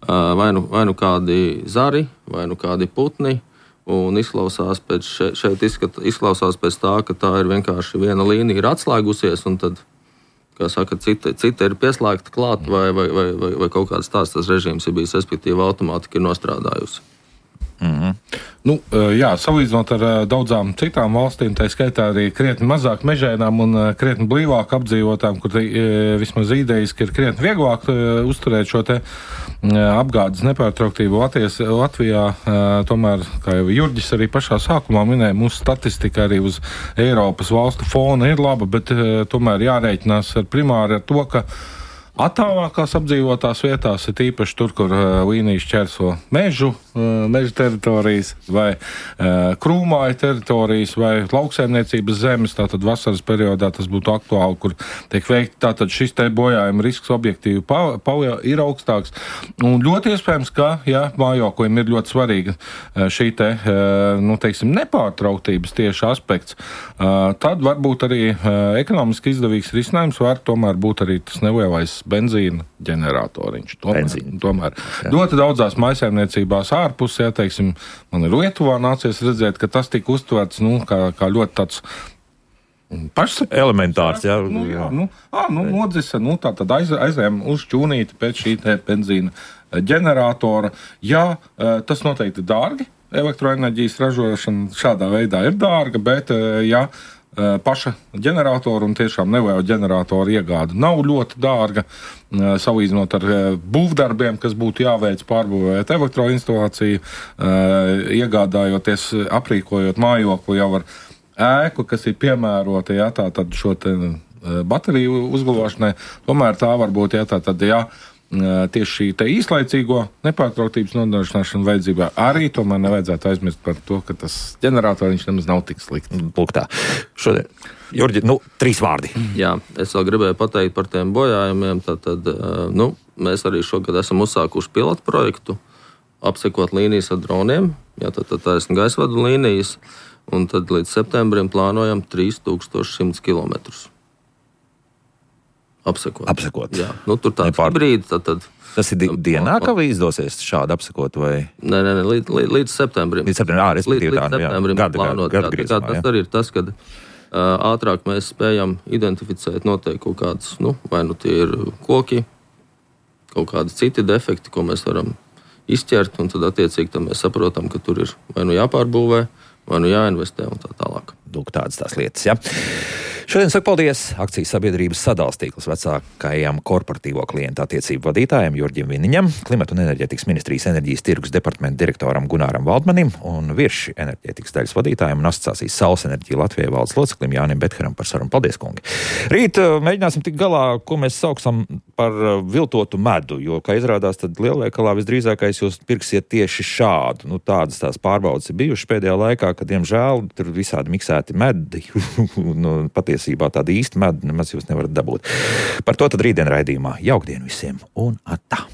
vai nu kādi zari, vai nu kādi putni, un izklausās pēc tā, ka tā ir vienkārši viena līnija ir atslēgusies, un tad, kā saka, cita ir pieslēgta klāt, vai kaut kāds tāds tas režīms ir bijis, respektīvi automātika ir nostrādājusi. Salīdzinot ar daudzām citām valstīm, tā skaitā arī krietni mazāk mežainām un krietni blīvāk apdzīvotām, kur vismaz idejiski ir krietni vieglāk uzturēt šo te apgādes nepārtrauktību Latvijā. Tomēr, kā jau Jurģis arī pašā sākumā minēja, mūsu statistika arī uz Eiropas valstu fona ir laba, bet tomēr jārēķinās primāri ar to, ka attālākās apdzīvotās vietās ir īpaši tur, kur līnijas šķērso meža teritorijas vai krūmāja teritorijas vai lauksaimniecības zemes. Tātad vasaras periodā tas būtu aktuāli, kur tiek veikti. Tātad šis te bojājuma risks objektīvi ir augstāks. Un ļoti iespējams, ka mājoklim ir ļoti svarīga šī te, nepārtrauktības tieši aspekts. Tad varbūt arī ekonomiski izdevīgs risinājums var tomēr būt arī tas nelielais benzīna ģeneratoriņš. Tomēr ļoti daudzās mājsaimniecībās ārpus, man ir Lietuvā nācies redzēt, ka tas tika uztverts kā ļoti tāds elementārs, nodzisa, tātad aizējām uz šķūnīti pēc šī te benzīna ģeneratora. Tas noteikti ir dārgi. Elektroenerģijas ražošana šādā veidā ir dārga, bet paša ģeneratora un tiešām neliela ģeneratora iegāde nav ļoti dārga, salīdzinot ar būvdarbiem, kas būtu jāveic pārbūvēt elektroinstalāciju, iegādājoties, aprīkojot mājokli jau ar ēku, kas ir piemērota, tātad šo te bateriju uzglabāšanai. Tomēr tā var būt, tieši šī te īslaicīgo nepārtrauktības nodrošināšana vajadzībā arī tomēr nevajadzētu aizmirst par to, ka tas ģeneratoriņš nemaz nav tik slikts. Lūk tā. Šodien, Jurģi, 3 vārdi. Jā, es vēl gribēju pateikt par tiem bojājumiem. Tātad, mēs arī šogad esam uzsākuši pilotu projektu, apsekot līnijas ar droniem, tad taisni gaisvadu līnijas, un tad līdz septembrim plānojam 3100 kilometrus. Apsekot. Jā, tur tāds hibrīds. Tas ir dienā, ka izdosies šādi apsekot? Vai? Nē, līdz septembrim. Līdz septembrim plānot. Tas arī ir tas, kad ātrāk mēs spējam identificēt noteikti kaut kādas, vai tie ir koki, kaut kādi citi defekti, ko mēs varam izķert, un tad attiecīgi mēs saprotam, ka tur ir vai jāpārbūvē, vai jāinvestē un tā tālāk. Tādas tās lietas, Šodien saku paldies akcijas sabiedrības sadalstīkls vecākajam korporatīvo klientu attiecību vadītājam Jurģim Viniņam, Klimata un enerģētikas ministrijas enerģijas tirgus departamenta direktoram Gunāram Valdmanim un Virši enerģētikas daļas vadītājam un asociācijas Saules enerģija Latvijai valdes loceklim Jānim Betkaram par sarunu. Paldies, kungi! Rīt mēģināsim tikt galā, ko mēs saucam par viltotu medu, jo, kā izrādās, tad lielveikalā visdrīzākais jūs pirksiet tieši šādu. Nu, tādas tās pārbaudas ir bijušas pēdējā laikā, kad, diemžēl, tur visādi miksēti medi. Nu, patiesībā tāda īsta medu nemaz jūs nevarat dabūt. Par to tad rītdien raidījumā. Jaukdien visiem un atā!